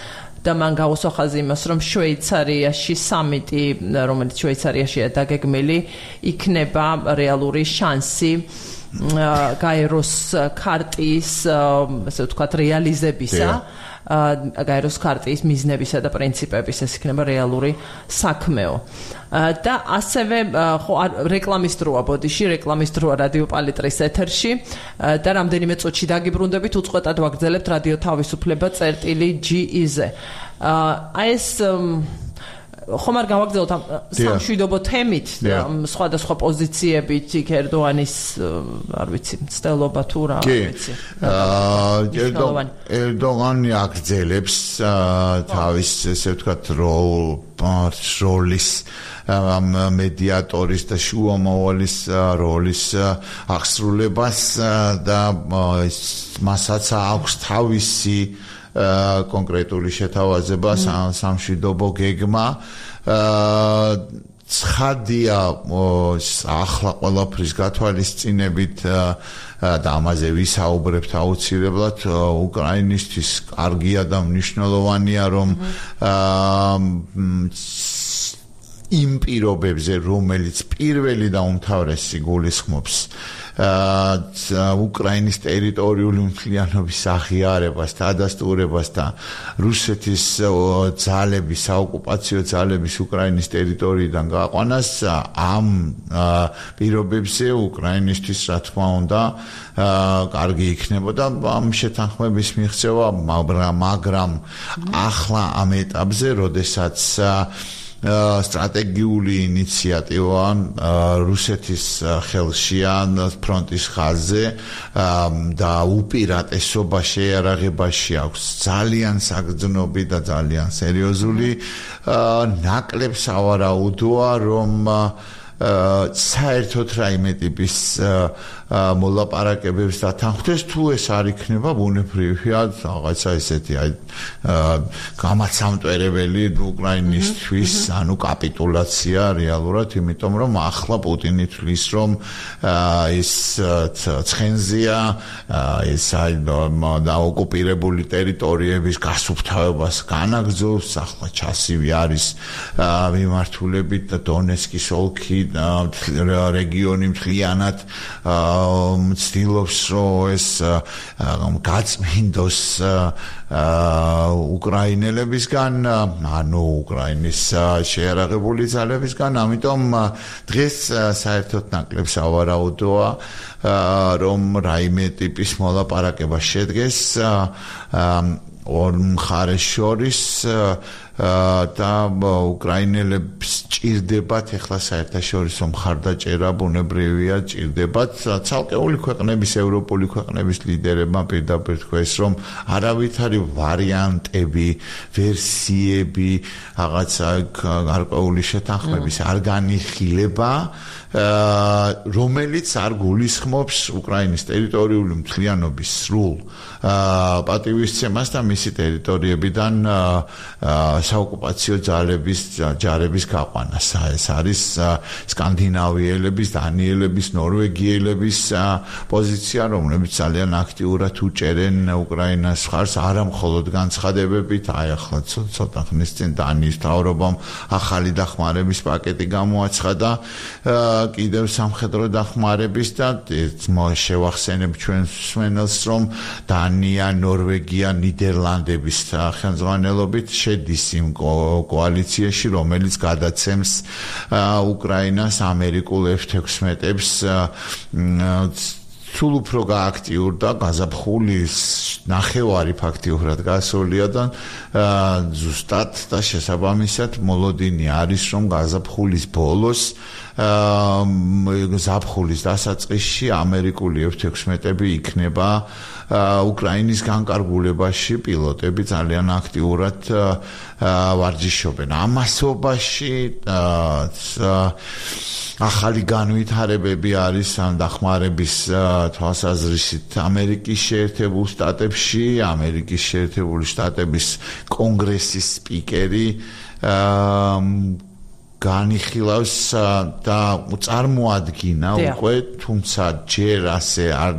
S1: და მან გაუსვა ხაზი იმას, რომ შვეიცარიაში სამიტი, რომელიც შვეიცარიაშია დაგეგმილი, იქნება რეალური შანსი გაეროს ქარტიის, ასე ვთქვათ, რეალიზებისა, გაეროს ქარტიის მიზნებისა და პრინციპების, ეს იქნება რეალური საქმეო. და ასევე ხო რეკლამის დროა ბოდიში, რეკლამის დროა რადიო პალიტრის ეთერში და რამდენიმე წუთში დაგიბრუნდებით, უწყვეტად ვაგრძელებთ რადიო თავისუფლება წერტილი GE-ზე. აი ეს ხომ არ გავაგზავნოთ ამ სამშვიდობო თემით, სხვადასხვა პოზიციებით იქ ერდოანის, არ ვიცი, მცდელობა თუ რა, არ ვიცი.
S2: ერდოღანი აგრძელებს თავის, ესე ვთქვათ, როლის მედიატორის და შუამავლის როლის აღსრულებას და მასაც აქვს თავისი კონკრეტული შეთავაზება სამშვიდობო გეგმა ცხადია ახლა ყველაფრის გათვალისწინებით და ამაზე ვისაუბრებთ აუცილებლად უკრაინისთვის კარგია და მნიშვნელოვანია რომ იმ პირობებზე რომელიც პირველი და უმთავრესი გულისხმობს უკრაინის ტერიტორიული მთლიანობის აღიარებას და ადასტურებას და რუსეთის ძალების საოკუპაციო ძალების უკრაინის ტერიტორიიდან გაყვანას ამ პირობებზე უკრაინისთვის რა თქმა უნდა კარგი იქნებოდა ამ შეთანხმების მიღწევა მაგრამ ახლა ამ ეტაპზე როდესაც სტრატეგიული ინიციატივა რუსეთის ხელშია ფრონტის ხაზზე და უპირატესობა შეიარაღებაში აქვს ძალიან საგრძნობი და ძალიან სერიოზული ნაკლებ სავარაუდოა რომ საერთოდ რაიმე ტიპის მოლაპარაკებებს დათანხმდეს თუ ეს არ იქნება ბუნებრივია რაღაცა ესეთი გამაცამტვერებელი უკრაინისთვის ანუ კაპიტულაცია რეალურად იმიტომ რომ ახლა პუტინი თვლის რომ ეს ცხენზია ეს დაოკუპირებული ტერიტორიების გასუფთავებას განაგრძობს ახლა ჩასივი არის მიმართულებით დონეცკის ოლქი რეგიონი მთლიანად მცდილობს რომ ეს გაწმინდოს უკრაინელებისგან ანუ უკრაინის შეიარაღებული ძალებისგან ამიტომ დღეს საერთოდ ნაკლებ სავარაუდოა რომ რაიმე ტიპის მოლაპარაკება შედგეს ორ მხარეს შორის და უკრაინელებს ჭირდებათ ეხლა საერთაშორისო მხარდაჭერა ბუნებრივია ჭირდებათ ცალკეული ქვეყნების ევროპული ქვეყნების ლიდერებმა პირდაპირ თქვეს რომ არავითარი ვარიანტები ვერსიები რაღაცა გარკვეული შეთანხმების არ განიხილება რომელიც არ გულისხმობს უკრაინის ტერიტორიული მთლიანობის სრულ პატივისცემას და მისი ტერიტორიებიდან საოკუპაციო ჯარების გაყვანას. ეს არის სკანდინავიელების, დანიელების, ნორვეგიელების პოზიცია, რომლებიც ძალიან აქტიურად უჭერენ უკრაინას მხარს, არა მხოლოდ განცხადებებით, აი ახლა ცოტა ხნის წინ დანიის მთავრობამ ახალი დახმარების პაკეტი გამოაცხადა, კიდევ სამხედრო დახმარების და შევახსენებ ჩვენს მსმენელს, რომ დანია, ნორვეგია, ნიდერლანდების ხელმძღვანელობით შედის იმ კოალიციაში, რომელიც გადაცემს უკრაინას ამერიკულ F-16-ებს სულ უფრო გააქტიურდა გაზაფხულის ნახევარი ფაქტიურად გასულია და ზუსტად და შესაბამისად მოლოდინი არის რომ გაზაფხულის ბოლოს ზაფხულის დასაწყისში ამერიკული F-16-ები იქნება უკრაინის განკარგულებაში პილოტები ძალიან აქტიურად ვარჯიშობენ. ამასობაში ახალი განვითარებები არის ამ დახმარების თვალსაზრისით ამერიკის შეერთებულ შტატებში, ამერიკის შეერთებული შტატების კონგრესის სპიკერი განიხილავს და წარმოადგინა უკვე, თუმცა ჯერ ასე არ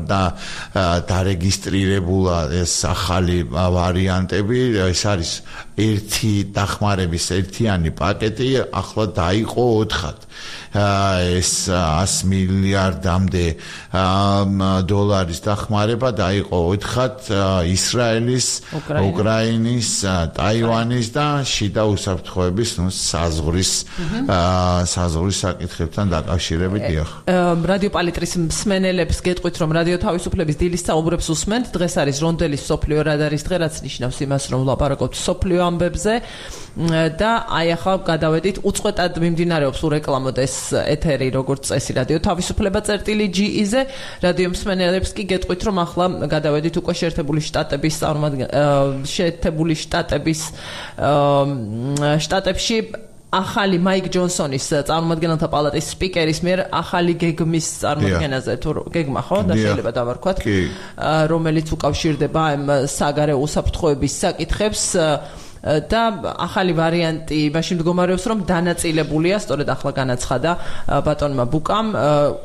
S2: დარეგისტრირებულა ეს ახალი ვარიანტები, ეს არის ერთი დახმარების ერთიანი პაკეტი, ახლა დაიყო 4-ად. ეს 100 მილიარდამდე დოლარის დახმარება დაიყო 4-ად ისრაელის, უკრაინის, ტაივანის და შიდა უსაფრთხოების საზღვრის საკითხებთან დაკავშირებით დიახ.
S1: რადიო პალიტრის მსმენელებს გეტყვით, რომ რადიო თავისუფლების დილის საუბრებს უსმენთ. დღეს არის რონდელის მსოფლიო რადარის დღე, რაც ნიშნავს იმას, რომ ვლაპარაკობთ მსოფლიო ამბებზე და აი ახლა გადავედით უწყვეტად მიმდინარეობს ურეკლამოდ ეს ეთერი როგორც წესი რადიო თავისუფლება წერტილი.ge-ზე რადიო მსმენელებს კი გეტყვით რომ ახლა გადავედით უკვე შეერთებული შტატებში ახალი მაიკ ჯონსონის წარმომადგენელთა პალატის სპიკერის მიერ ახალი გეგმის წარმოქმნაზე თუ გეგმა ხო და შეიძლება დავარქვათ რომელიც უკავშირდება ამ საგარეო უსაფრთხოების საკითხებს და ახალი ვარიანტი მაშინ მდგომარეობს რომ დანაწილებულია სწორედ ახლა განაცხადა ბატონმა ბუკამ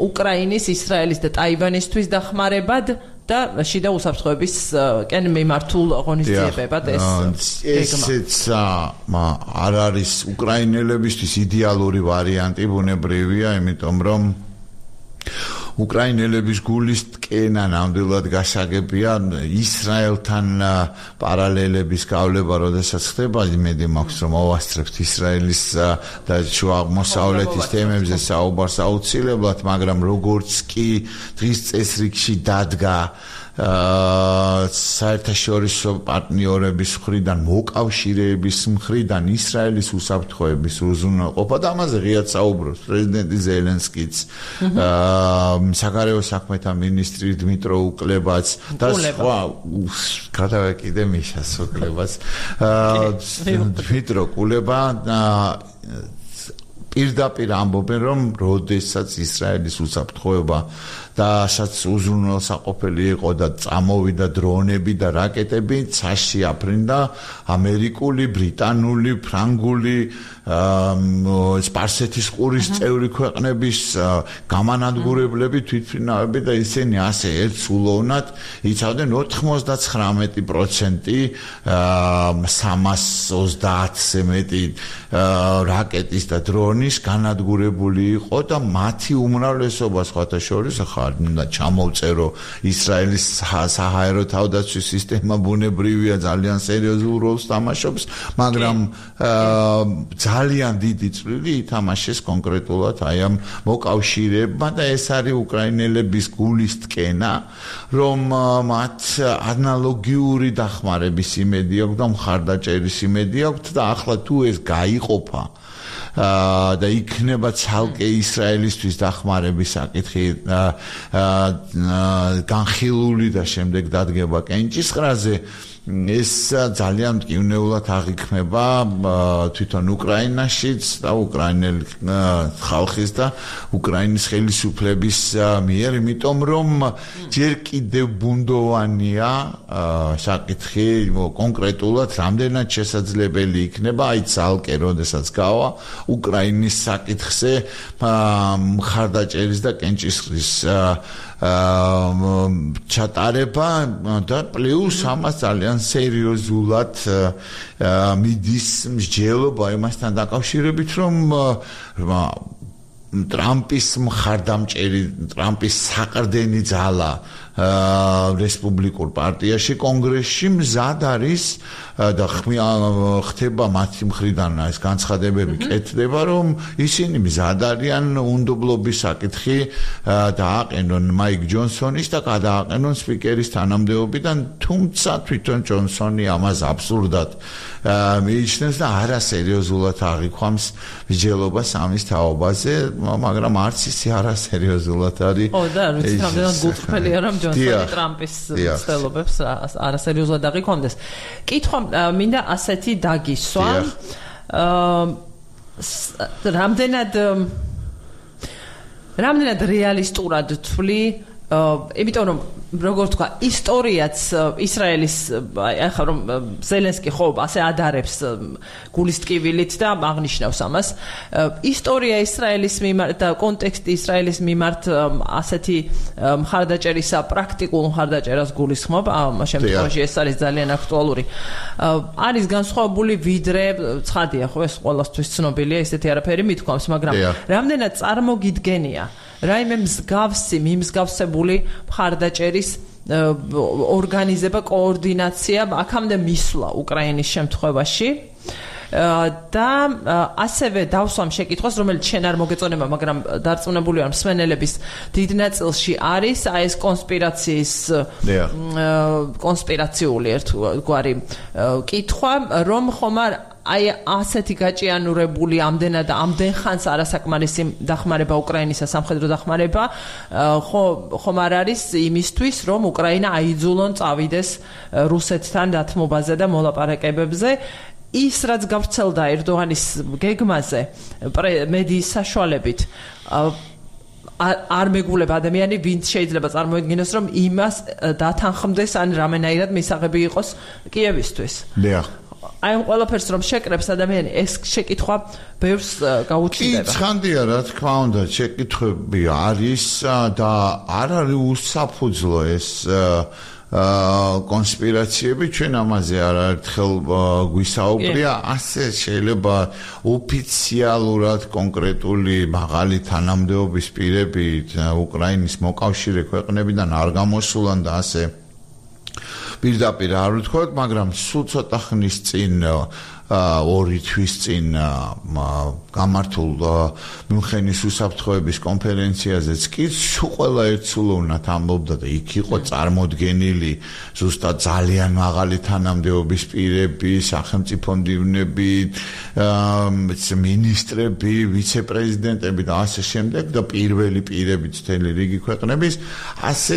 S1: უკრაინის, ისრაელის და ტაივანისთვის დახმარებად და შიდა უსაფრთხოების კენ მიმართულ ღონისძიებებად
S2: ესეც არ არის უკრაინელებისთვის იდეალური ვარიანტი ბუნებრივია იმიტომ რომ უკრაინელების გულის ტკენა ნამდვილად გასაგებია ისრაელთან პარალელების გავლება როდესაც ხდება იმედი მაქვს რომ ავასწრებთ ისრაელის და შუა აღმოსავლეთის თემებზე საუბარს აუცილებლად მაგრამ როგორც კი დღის წესრიგში დადგა საერთაშორისო პარტნიორების მხრიდან მოკავშირეების მხრიდან ისრაელის უსაფრთხოების უზრუნველყოფა და ამაზე ღიად საუბრობს პრეზიდენტი ზელენსკიც საგარეო საქმეთა მინისტრი დმიტრო უკლევაც და სხვა გადავეკიდე მიშას უკლევაც დმიტრო კულება პირდაპირ ამბობენ რომ როდესაც ისრაელის უსაფრთხოება და სადაც უზრუნველსაყოფელი იყო და წამოვიდა დრონები და რაკეტები ცაში აფრინდა ამერიკული, ბრიტანული, ფრანგული სპარსეთის ყურის წევრი ქვეყნების გამანადგურებლები თვითმფრინავები და ისინი ასე ერთსულოვნად იცავდნენ 99% 320-ზე მეტი რაკეტის და დრონის განადგურებული იყო და მათი უმრავლესობა სხვათა შორის და ჩამოვწერო ისრაელის საჰაერო თავდაცვის სისტემა ბუნებრივია ძალიან სერიოზულ როლს თამაშობს მაგრამ ძალიან დიდი წვლილი ითამაშეს კონკრეტულად აი ამ მოკავშირეებმა და ეს არის უკრაინელების გულის ტკენა რომ მათ ანალოგიური დახმარების იმედი აქვს და მხარდაჭერის იმედი აქვს და ახლა თუ ეს გაიყოფა და იქნება ცალკე ისრაელისთვის დახმარების საკითხი განხილული და შემდეგ დადგება კენჭისყრაზე ეს ძალიან მტკივნეულად აღიქმება თვითონ უკრაინაშიც და უკრაინელ ხალხის და უკრაინის ხელისუფლების მიერ, იმიტომ რომ ჯერ კიდევ ბუნდოვანია საკითხი კონკრეტულად რამდენად შესაძლებელი იქნება აი ცალკე როდესაც გავა უკრაინის საკითხზე მხარდაჭერის და კენჭისყრის ჩატარება და პლუს ამას ძალიან სერიოზულად მიდის მსჯელობა იმასთან დაკავშირებით რომ ტრამპის მხარდამჭერი ტრამპის საყრდენი ძალა რესპუბლიკურ პარტიაში კონგრესში მზად არის და ხდება მათი მხრიდან ეს განცხადებები კეთდება რომ ისინი მზად არიან უნდობლობის საკითხი დააყენონ მაიკ ჯონსონის და გადააყენონ სპიკერის თანამდებობიდან თუმცა თვითონ ჯონსონი ამას აბსურდად მიიჩნევს და არასერიოზულად აღიქვამს მსჯელობას ამის თაობაზე მაგრამ არც ისე არასერიოზულად არის
S1: ო და ვიცი რამდენად გულწრფელია რომ ჯონსონი ტრამპის ცდილობებს არასერიოზულად აღიქვამდეს კითხვა მინდა ასეთი დაგისვა რამდენად რეალისტურად თვლი იმიტომ რომ როგორ თქვა ისტორიაც ისრაელის ახლა რომ ზელენსკი ხო ასე ადარებს გულის ტკივილით და აღნიშნავს ამას ისტორია ისრაელის მიმართ და კონტექსტი ისრაელის მიმართ ასეთი მხარდაჭერისა პრაქტიკულ მხარდაჭერას გულისხმობ ამ შემთხვევაში ეს არის ძალიან აქტუალური არის განსხვავებული ვიდრე ცხადია ხო ეს ყველასთვის ცნობილია ესეთი არაფერი მithქვამს მაგრამ რამდენად წარმოგიდგენია რაიმე მსგავსი მიმსგავსებული მხარდაჭერის ორგანიზება, კოორდინაცია აქამდე მისვლა უკრაინის შემთხვევაში და ასევე დავსვამ შეკითხვას, რომელიც შენ არ მოგეწონება, მაგრამ დარწმუნებული ვარ მსმენელების დიდ ნაწილში არის ეს კონსპირაციული ერთგვარი კითხვა, რომ ხომ აი ასეთი გაჭიანურებული ამდენად და ამდენ ხანს არასაკმარისი დახმარება უკრაინისა სამხედრო დახმარება ხომ არ არის იმისთვის, რომ უკრაინა აიძულონ წავიდეს რუსეთთან დათმობაზე და მოლაპარაკებებზე. ის რაც გავრცელდა ერდოღანის გეგმაზე მედიის საშუალებით არ მეგულება ადამიანი, ვინც შეიძლება წარმოედგინოს, რომ იმას დათანხმდეს ან რამენაირად მისაღები იყოს კიევისთვის. აი ამ ყველაფერს რომ შეკრებს ადამიანი, ეს შეკითხვა ბევრს გაუჩნდება.
S2: ცხადია, რა თქმა უნდა, შეკითხვები არის და არ არის უსაფუძვლო ეს კონსპირაციები, ჩვენ ამაზე არაერთხელ გვისაუბრია, ასე შეიძლება ოფიციალურად კონკრეტული მაღალი თანამდებობის პირებით უკრაინის მოკავშირე ქვეყნებიდან არ გამოსულან და ასე პირდაპირ არ ვთქვათ, მაგრამ სულ ცოტა ხნის წინ 2 თვის წინ გამართულ მიუნხენის უსაფრთხოების კონფერენციაზეც კი ყველა ერთსულოვნად ამბობდა და იქ იყო წარმოდგენილი ზუსტად ძალიან მაღალი თანამდებობის პირები, სახელმწიფო მდივნები, მინისტრები, ვიცე-პრეზიდენტები და ასე შემდეგ და პირველი პირები მთელი რიგი ქვეყნების ასე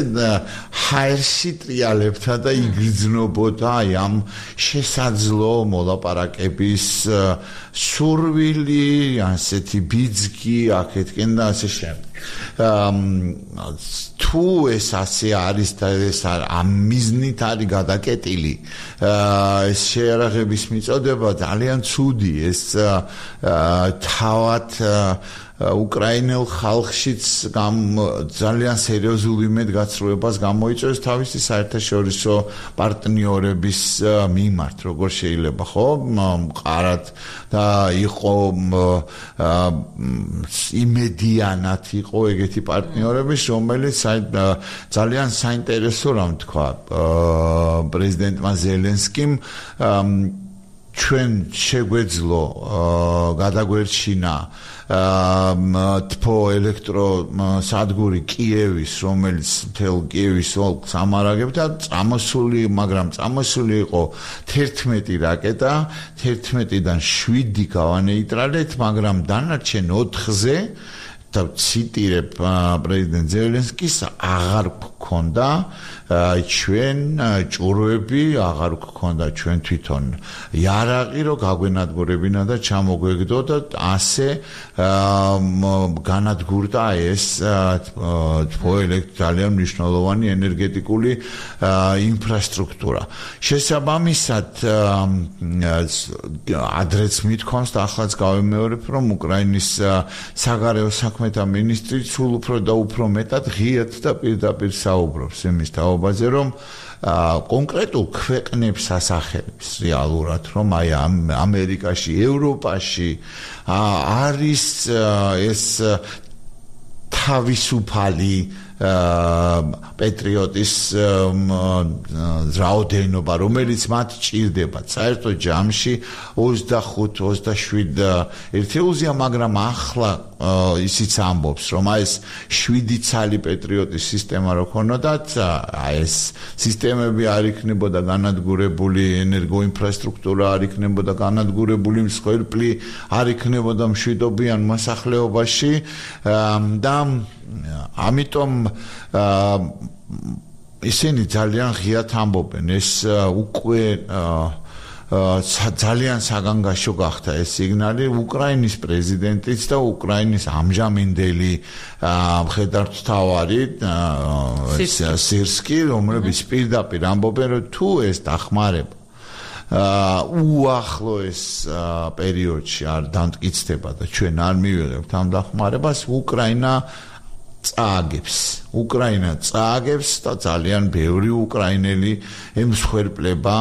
S2: ჰაერში ტრიალებდა და იგრძნობოდა აი ამ შესაძლო მოლაპარაკების სურვილი, ასეთი ბიძგი აქეთკენ და ასე შემდეგ. თუ ეს ასე არის და ეს ამ მიზნით არის გადაკეტილი, ეს შეიარაღების მიწოდება ძალიან ცუდი, ეს თავად უკრაინელ ხალხშიც ძალიან სერიოზულ იმედგაცრუებას გამოიწვევს თავისი საერთაშორისო პარტნიორების მიმართ, როგორ შეიძლება, ხო? მყარად და იყო იმედიანად იყო ეგეთი პარტნიორების, რომელიც ძალიან საინტერესო რამ თქვა პრეზიდენტმა ზელენსკიმ ჩვენ შეგვეძლო გადაგვერჩინა თბო ელექტროსადგური კიევის, რომელიც მთელ კიევის ოლქს ამარაგებდა, მაგრამ წამოსული იყო 11 რაკეტა, 11-დან 7 გავანეიტრალეთ, მაგრამ დანარჩენ 4-ზე და ციტირებ პრეზიდენტ ზელენსკის აღარ გქონდა ჩვენ ჭურვები, აღარ გქონდა ჩვენ თვითონ იარაღი, რომ გაგვენადგურებინა და ჩამოგვეგდო და ასე განადგურდა ეს ძალიან მნიშვნელოვანი ენერგეტიკული ინფრასტრუქტურა. შესაბამისად ადრეც მithქვამს და ახალაც გავიმეორებ, რომ უკრაინის საგარეო საქმეთა მინისტრი სულ უფრო და უფრო მეტად ღიად და პირდაპირ საუბრობს იმის თაობაზე, რომ კონკრეტულ ქვეყნებს ასახელებს რეალურად, რომ აი ამერიკაში, ევროპაში არის ეს თავისუფალი პატრიოტის რაოდენობა, რომელიც მათ ჭირდება. საერთოდ ჯამში 25-27 ერთეულზეა, მაგრამ ახლა ისიც ამბობს, რომ აი ეს 7 ცალი პატრიოტის სისტემა რო ქონოდათ, აი ეს სისტემები არ იქნებოდა განადგურებული, ენერგოინფრასტრუქტურა არ იქნებოდა განადგურებული, მსხვერპლი არ იქნებოდა მშვიდობიან მოსახლეობაში და ამიტომ ისინი ძალიან ღიად ამბობენ, ეს უკვე ძალიან საგანგაშო გახდა ეს სიგნალი უკრაინის პრეზიდენტიც და უკრაინის ამჟამინდელი მხედართმთავარი სირსკი, რომლებიც პირდაპირ ამბობენ, რომ თუ ეს დახმარება უახლოეს პერიოდში არ დამტკიცდება და ჩვენ არ მივიღებთ ამ დახმარებას, უკრაინა წააგებს და ძალიან ბევრი უკრაინელი ემსხვერპლება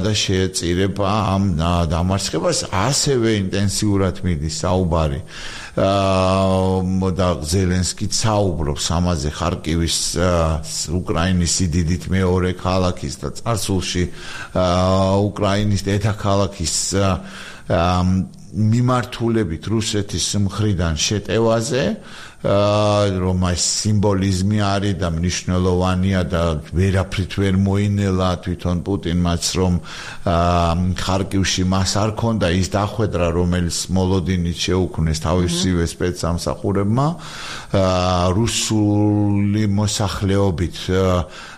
S2: და შეეწირება ამ დამარცხებას. ასევე ინტენსიურად მიდის საუბარი და ზელენსკი საუბრობს ამაზე ხარკივის უკრაინის სიდიდით მეორე ქალაქის და წარსულში უკრაინის დედაქალაქის მიმართულებით რუსეთის მხრიდან შეტევაზე რომ ეს სიმბოლიზმი არის და მნიშვნელოვანია და ვერაფრით ვერ მოინელა თვითონ პუტინმაც რომ ხარკივში მას არ ქონდა ის დახვედრა რომელიც მოლოდინით შეუქმნეს თავისივე სპეცსამსახურებმა რუსული მოსახლეობით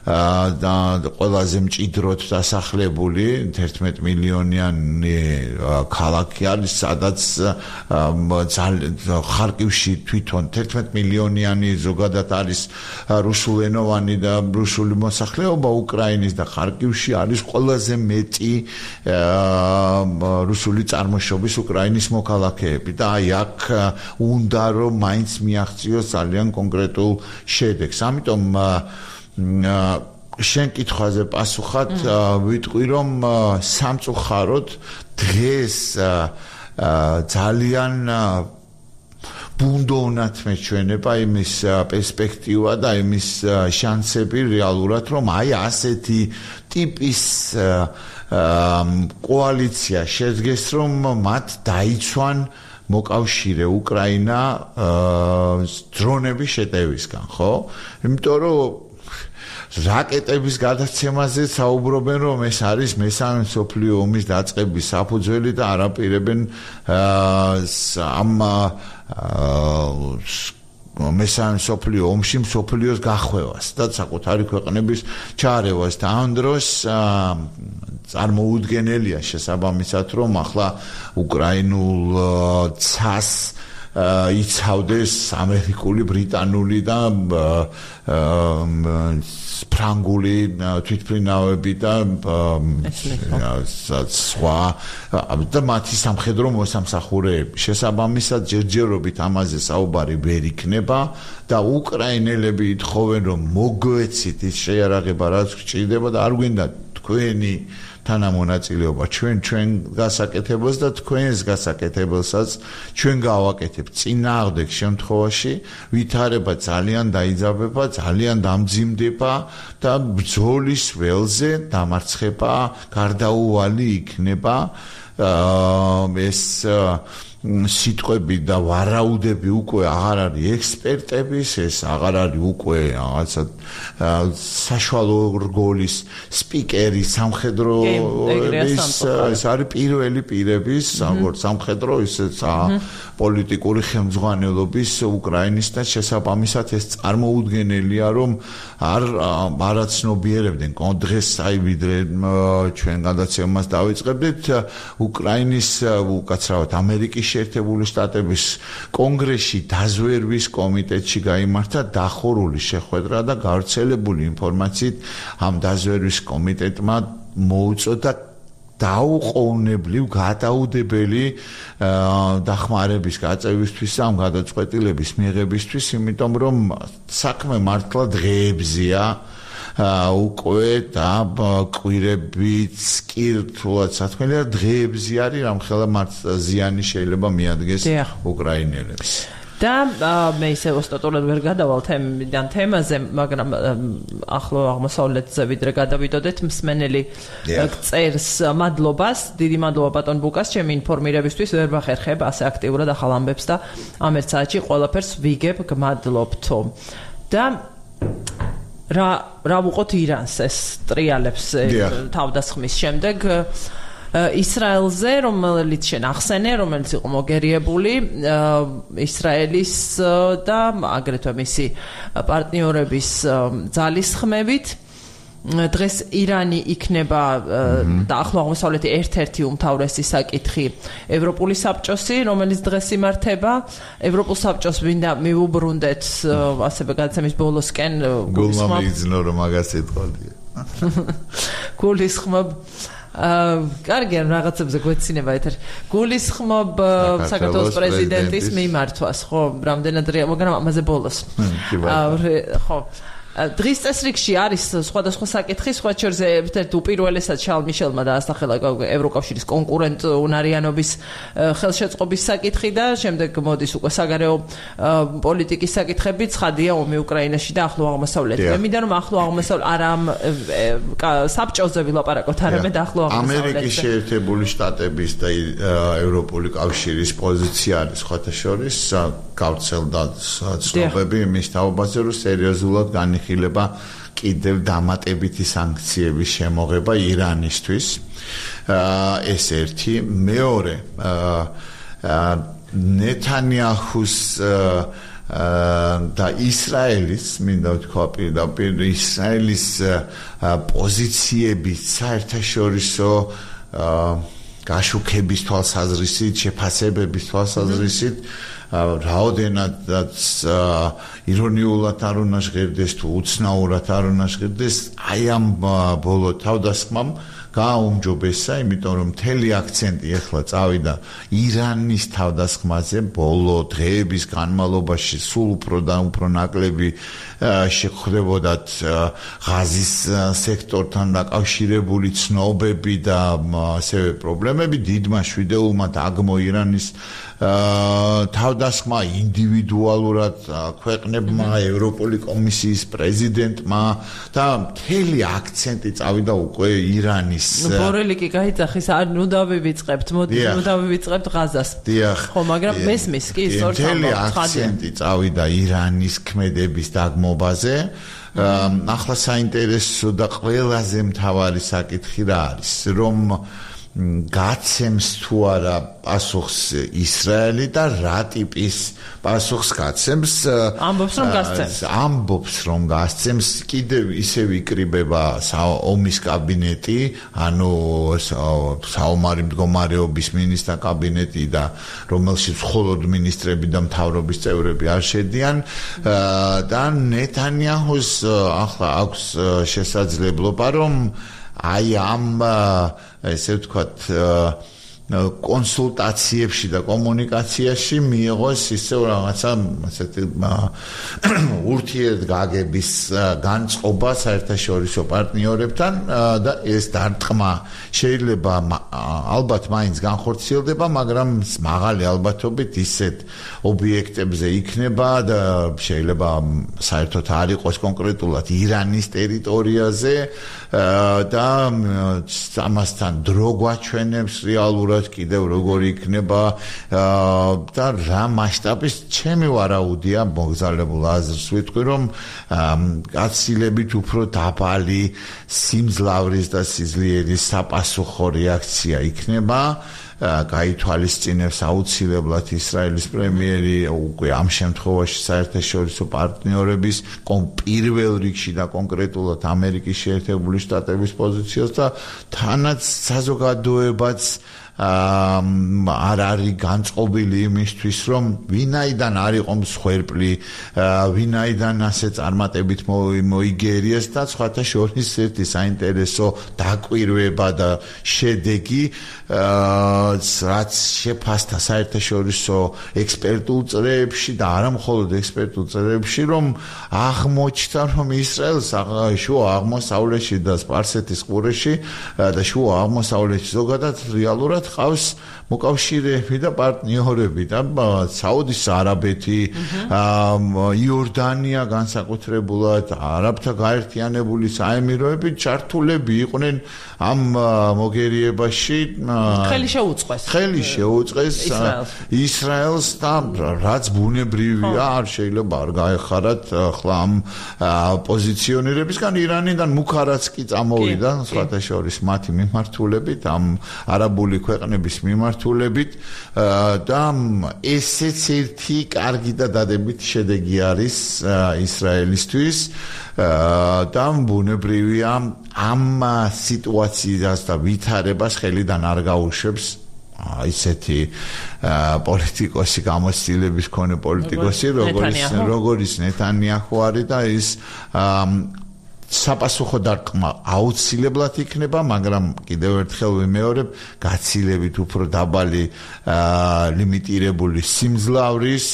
S2: და ყველაზე მჭიდროდ დასახლებული 11 მილიონიანი ქალაქი არის სადაც ხარკივში თვითონ 11 მილიონიანი ზოგადად არის რუსულენოვანი და რუსული მოსახლეობა უკრაინის და ხარკივში არის ყველაზე მეტი რუსული წარმოშობის უკრაინის მოქალაქეები და აი აქ უნდა რომ მაინც მიაღწიოს ძალიან კონკრეტულ შედეგს ამიტომ შენ კითხვაზე პასუხად ვიტყვი რომ სამწუხაროდ დღეს ძალიან ბუნდოვნად მეჩვენება იმის პერსპექტივა და იმის შანსები რეალურად რომ აი ასეთი ტიპის კოალიცია შედგეს რომ მათ დაიცვან მოკავშირე უკრაინა დრონების შეტევისგან ხო იმიტომ რომ რაკეტების გადაცემაზე საუბრობენ რომ ეს არის მესამე მსოფლიო ომის დაწყების საფუძველი და არაპირებენ ამ მესამე მსოფლიო ომში მსოფლიოს გახვევას და საკუთარი ქვეყნების ჩარევას და ამ დროს წარმოუდგენელია შესაბამისად რომ ახლა უკრაინულ ცას იცავდეს ამერიკული, ბრიტანული და ფრანგული თვითმფრინავები და სხვა და მათი სამხედრო მოსამსახურეები. შესაბამისად ჯერჯერობით ამაზე საუბარი ვერ იქნება და უკრაინელები ითხოვენ რომ მოგვეცით ის შეიარაღება რაც გჭირდება და არ გვინდა თქვენი თანამონაწილეობა ჩვენ გასაკეთებელს და თქვენს გასაკეთებელსაც ჩვენ გავაკეთებთ წინააღმდეგ შემთხვევაში ვითარება ძალიან დაიძაბება ძალიან დამძიმდება და ბრძოლის ველზე დამარცხება გარდაუვალი იქნება ეს სიტყვები და ვარაუდები უკვე აღარ არის ექსპერტების, ეს აღარ არის უკვე რაღაცა საშუალო რგოლის სპიკერი სამხედროების, ეს არის პირველი პირების, როგორც სამხედრო, ისე პოლიტიკური ხელმძღვანელობის უკრაინის და შესაბამისად ეს წარმოუდგენელია, რომ არაცნობიერებდნენ დღეს აი ვიდრე ჩვენ გადაცემას დავიწყებდით უკრაინის უკაცრავად ამერიკის შეერთებული შტატების კონგრესში დაზვერვის კომიტეტში გაიმართა დახურული შეხვედრა და გავრცელებული ინფორმაციით ამ დაზვერვის კომიტეტმა მოუწოდა დაუყოვნებლივ გადაუდებელი დახმარების გაწევისთვის ამ გადაწყვეტილების მიღებისთვის, იმიტომ რომ საქმე მართლა დღეებზია უკვე და კვირებიც კი რთულად საქმეა დღეებზე არის რამხელა ზიანი შეიძლება მიადგეს უკრაინელებს
S1: და მე ისე ოსტატურად ვერ გადავალ თემაზე, მაგრამ ახლო აღმოსავლეთზე ვიდრე გადავიდოდეთ მსმენელი წერს მადლობას, დიდი მადლობა ბატონ ბუკას, ჩემი ინფორმირებისთვის ვერ ვახერხებ ასე აქტიურად ახალ ამბებს და ამ ერთ საათში ყველაფერს ვიგებ, გმადლობთო. და რა ვუყოთ ირანს ეს ტრიალებს თავდასხმის შემდეგ ისრაელზე, რომელიც შენ ახსენე, რომელიც იყო მოგერიებული ისრაელის და აგრეთვე მისი პარტნიორების ძალისხმევით. დღეს ირანი იქნება და ახლო აღმოსავლეთი ერთ-ერთი უმთავრესი საკითხი ევროპული საბჭოსი, რომელიც დღეს იმართება. ევროპულ საბჭოს მინდა მივუბრუნდეთ ასევე გადაცემის ბოლოსკენ
S2: გულმა მიიძნო რომ მაგას ეთყოლია.
S1: გულისხმობ კარგი რაღაცებზე გვეცინება ეთერი. გულისხმობ საქართველოს პრეზიდენტის მიმართვას, ხო, რამდენად მაგრამ ამაზე ბოლოს. ხო. დღის წესრიგში არის სხვადასხვა საკითხი, სხვა შორის ერთ-ერთი უპირველესად შარლ მიშელმა დაასახელა ევროკავშირის კონკურენტ უნარიანობის ხელშეწყობის საკითხი და შემდეგ მოდის უკვე საგარეო პოლიტიკის საკითხები, ცხადია ომი უკრაინაში და ახლო აღმოსავლეთში. მე მინდა რომ ახლო აღმოსავლეთ არა საბჭოზე ვილაპარაკოთ, არამედ ახლო აღმოსავლეთში.
S2: ამერიკის შეერთებული შტატების და ევროპული კავშირის პოზიცია არის სხვათა შორის გავრცელდა ცნობები იმის თაობაზე, რომ სერიოზულად განიხილება კიდევ დამატებითი სანქციების შემოღება ირანისთვის. ეს ერთი, მეორე ნეთანიაჰუს და ისრაელის, მინდა ვთქვა პირდაპირ ისრაელის პოზიციების საერთაშორისო გაშუქების თვალსაზრისით, შეფასებების თვალსაზრისით რაოდენადაც ირონიულად არ უნდა ჟღერდეს თუ უცნაურად არ უნდა ჟღერდეს, აი ამ ბოლო თავდასხმამ გააუმჯობესა, იმიტომ რომ მთელი აქცენტი ახლა წავიდა ირანის თავდასხმაზე, ბოლო დღეების განმავლობაში სულ უფრო და უფრო ნაკლები შეხვდებოდათ ღაზის სექტორთან დაკავშირებული ცნობები და ასევე პრობლემები, დიდმა შვიდეულმა დაგმო ირანის თავდასხმა ინდივიდუალურად ქვეყნებმა, ევროპული კომისიის პრეზიდენტმა და მთელი აქცენტი წავიდა უკვე ირანის.
S1: ბორელი კი გაიძახის, არ ნუ დავივიწყებთ, მოდი ნუ დავივიწყებთ ღაზას. ხო, მაგრამ მესმის კი სწორად
S2: მთელი აქცენტი წავიდა ირანის ქმედების დაგმობაზე. ახლა საინტერესო და ყველაზე მთავარი საკითხი რა არის, რომ გაცემს თუ არა პასუხს ისრაელი და რა ტიპის პასუხს გაცემს? ამბობს რომ გაცემს, კიდევ ისევ იკრიბება ომის კაბინეტი, ანუ საომარი მდგომარეობის მინისტრთა კაბინეტი და რომელშიც მხოლოდ მინისტრები და მთავრობის წევრები არ შედიან და ნეთანიაჰუს ახლა აქვს შესაძლებლობა რომ აი ამ ესე ვთქვათ კონსულტაციებში და კომუნიკაციაში მიიღოს ისევ რაღაცა ასეთი ურთიერთგაგების განწყობა საერთაშორისო პარტნიორებთან და ეს დარტყმა შეიძლება ალბათ მაინც განხორციელდება, მაგრამ მაღალი ალბათობით ისეთ ობიექტებზე იქნება და შეიძლება საერთოდ არ იყოს კონკრეტულად ირანის ტერიტორიაზე და ამასთან დრო გვაჩვენებს რეალურად კიდევ როგორი იქნება და რა მასშტაბის ჩემი ვარაუდია მოგზაურებულ აზრს ვიტყვი რომ გაცილებით უფრო დაბალი სიმძლავრის და სიძლიერის საპასუხო რეაქცია იქნება გაითვალისწინებს აუცილებლად ისრაელის პრემიერი უკვე ამ შემთხვევაში საერთაშორისო პარტნიორების პირველ რიგში და კონკრეტულად ამერიკის შეერთებული შტატების პოზიციას და თანაც საზოგადოებაც არ არის განწყობილი იმისთვის რომ ვინაიდან არ იყო მსხვერპლი, ვინაიდან ასე წარმატებით მოიგერიეს და სხვათა შორის ერთი საინტერესო დაკვირვება და შედეგი რაც შეფასდა საერთაშორისო ექსპერტულ წრეებში და არა მხოლოდ ექსპერტულ წრეებში, რომ აღმოჩნდა რომ ისრაელს შუა აღმოსავლეთში და სპარსეთის ყურეში და შუა აღმოსავლეთში ზოგადად რეალურად ყავს მოკავშირეები და პარტნიორები და საუდის არაბეთი, იორდანია განსაკუთრებულად, არაბთა გაერთიანებული საემიროები ჩართულები იყვნენ ამ მოგერიებაში. ხელი შეუწყეს ისრაელს და რაც ბუნებრივია, არ შეიძლება არ გაეხარათ ახლა ამ პოზიციონირებისგან ირანიდან მუქარაც კი წამოვიდა სხვათა შორის მათი მიმართულებით, ამ არაბული ქვეყნების მიმართულებით და ესეც ერთი კარგი და დადებითი შედეგი არის ისრაელისთვის და ბუნებრივია ამ სიტუაციას და ვითარებას ხელიდან არ გაუშვებს ისეთი პოლიტიკოსი გამოცდილების მქონე პოლიტიკოსი როგორც ნეთანიაჰუ არის და ის საპასუხო დარტყმა აუცილებლად იქნება, მაგრამ კიდევ ერთხელ ვიმეორებ, გაცილებით უფრო დაბალი ლიმიტირებული სიმძლავრის,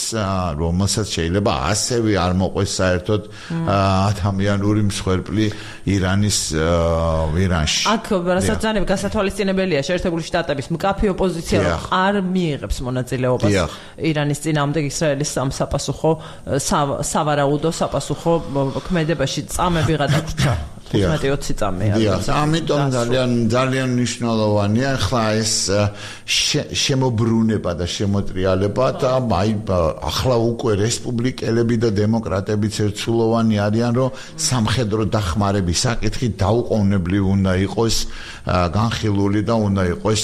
S2: რომელსაც შეიძლება ასევე არ მოყვეს საერთოდ ადამიანური მსხვერპლი ირანში.
S1: აქ რასაც ძალიან გასათვალისწინებელია, შეერთებული შტატების მკაფე ოპოზიცია არ მიიღებს მონაწილეობას ირანის წინააღმდეგ ისრაელის სამსაპასუხო სავარაუდო საპასუხო ქმედებაში წამები გადაგვრჩა 15-20 წამია.
S2: ამიტომ ძალიან მნიშვნელოვანია ახლა ეს შემოbruneba და შემოტრიალება და ახლა უკვე რესპუბლიკელები და დემოკრატებიც ერთსულოვანი არიან, რომ სამხედრო დახმარების საკითხი დაუყოვნებლივ უნდა იყოს განხილული და უნდა იყოს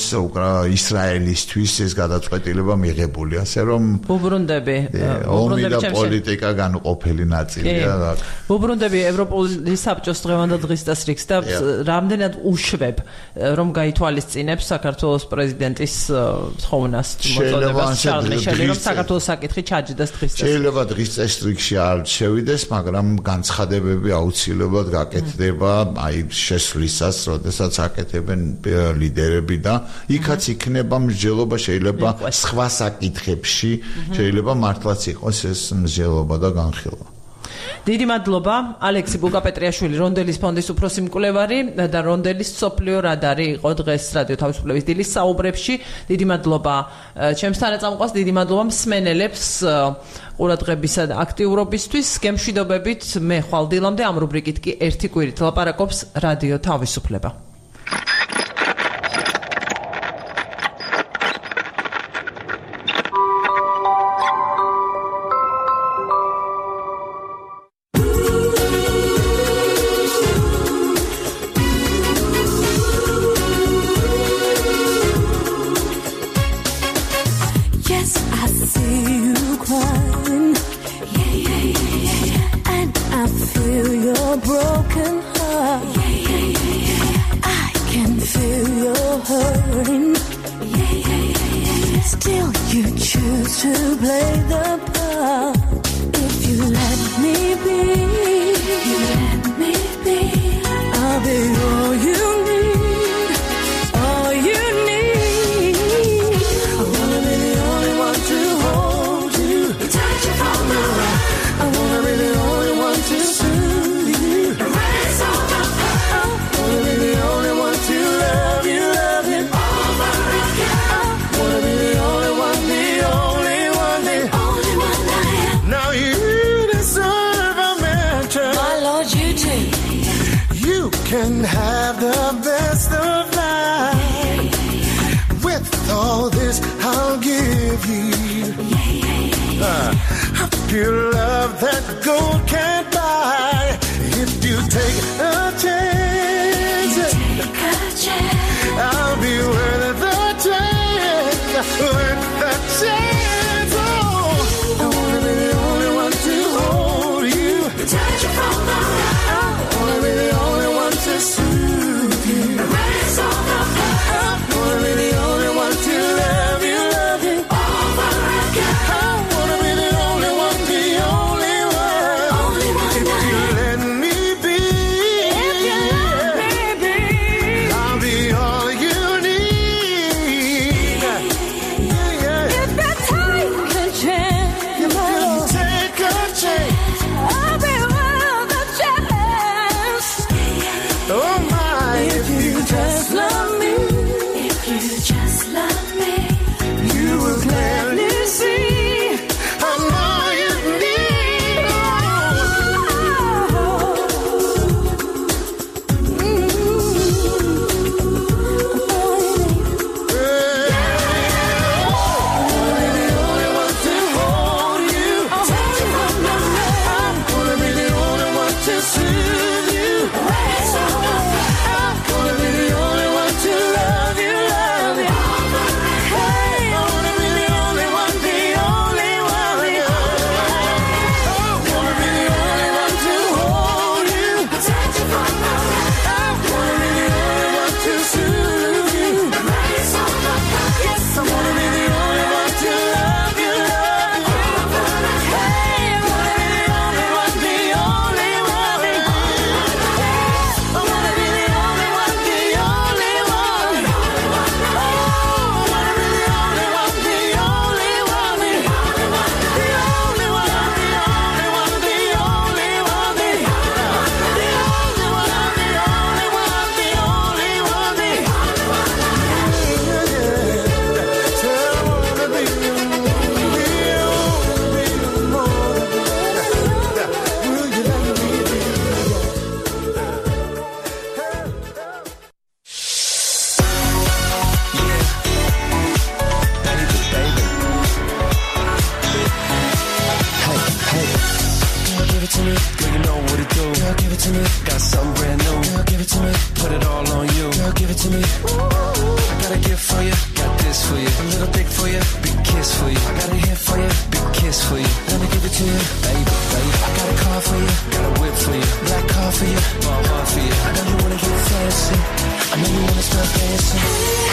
S2: ისრაელისთვის ეს გადაწყვეტილება მიღებული, ასე რომ ომი და პოლიტიკა განუყოფელი ნაწილია.
S1: ვუბრუნდები ევროპული საბჭოს დღევანდელ დღის დასრიგს და რამდენად უშვებ რომ გაითვალისწინებს საქართველოს პრეზიდენტის თხოვნას მოწოდებას შარლ მიშელი რომ საქართველოს საკითხი ჩაჯდას დღის დასრიგს.
S2: შეიძლება დღის წესრიგში არ შევიდეს, მაგრამ განცხადებები აუცილებლად გაკეთდება აი შესვლისას, როდესაც აკეთებენ ლიდერები და იქაც იქნება მსჯელობა, შეიძლება სხვა საკითხებში შეიძლება მართლაც იყოს ეს მსჯელობა და განხილვა.
S1: დიდი მადლობა ალექსი ბუკაპეტრიაშვილი, რონდელის ფონდის უფროსი მკვლევარი და რონდელის სოფლიო რადარი იყო დღეს რადიო თავისუფლების დილის საუბრებში. დიდი მადლობა ჩემს თანაწამყვას, დიდი მადლობა მსმენელებს ყურადღებისა და აქტიურობისთვის. გემშვიდობებით, მე ხვალ დილამდე ამ რუბრიკით კი ერთი კვირით ლაპარაკობს რადიო თავისუფლება.
S3: Touch you from the right. I wanna be the only one to soothe. to me. Got something brand new. Girl, give it to me. Put it all on you. Girl, give it to me. I got a gift for you. Got this for you. A little dick for you. Big kiss for you. I got a hit for you. Big kiss for you. Let me give it to you, baby, baby. I got a car for you. Got a whip for you. Black car for you. My heart for you. I know you wanna get fancy. I know you wanna start dancing.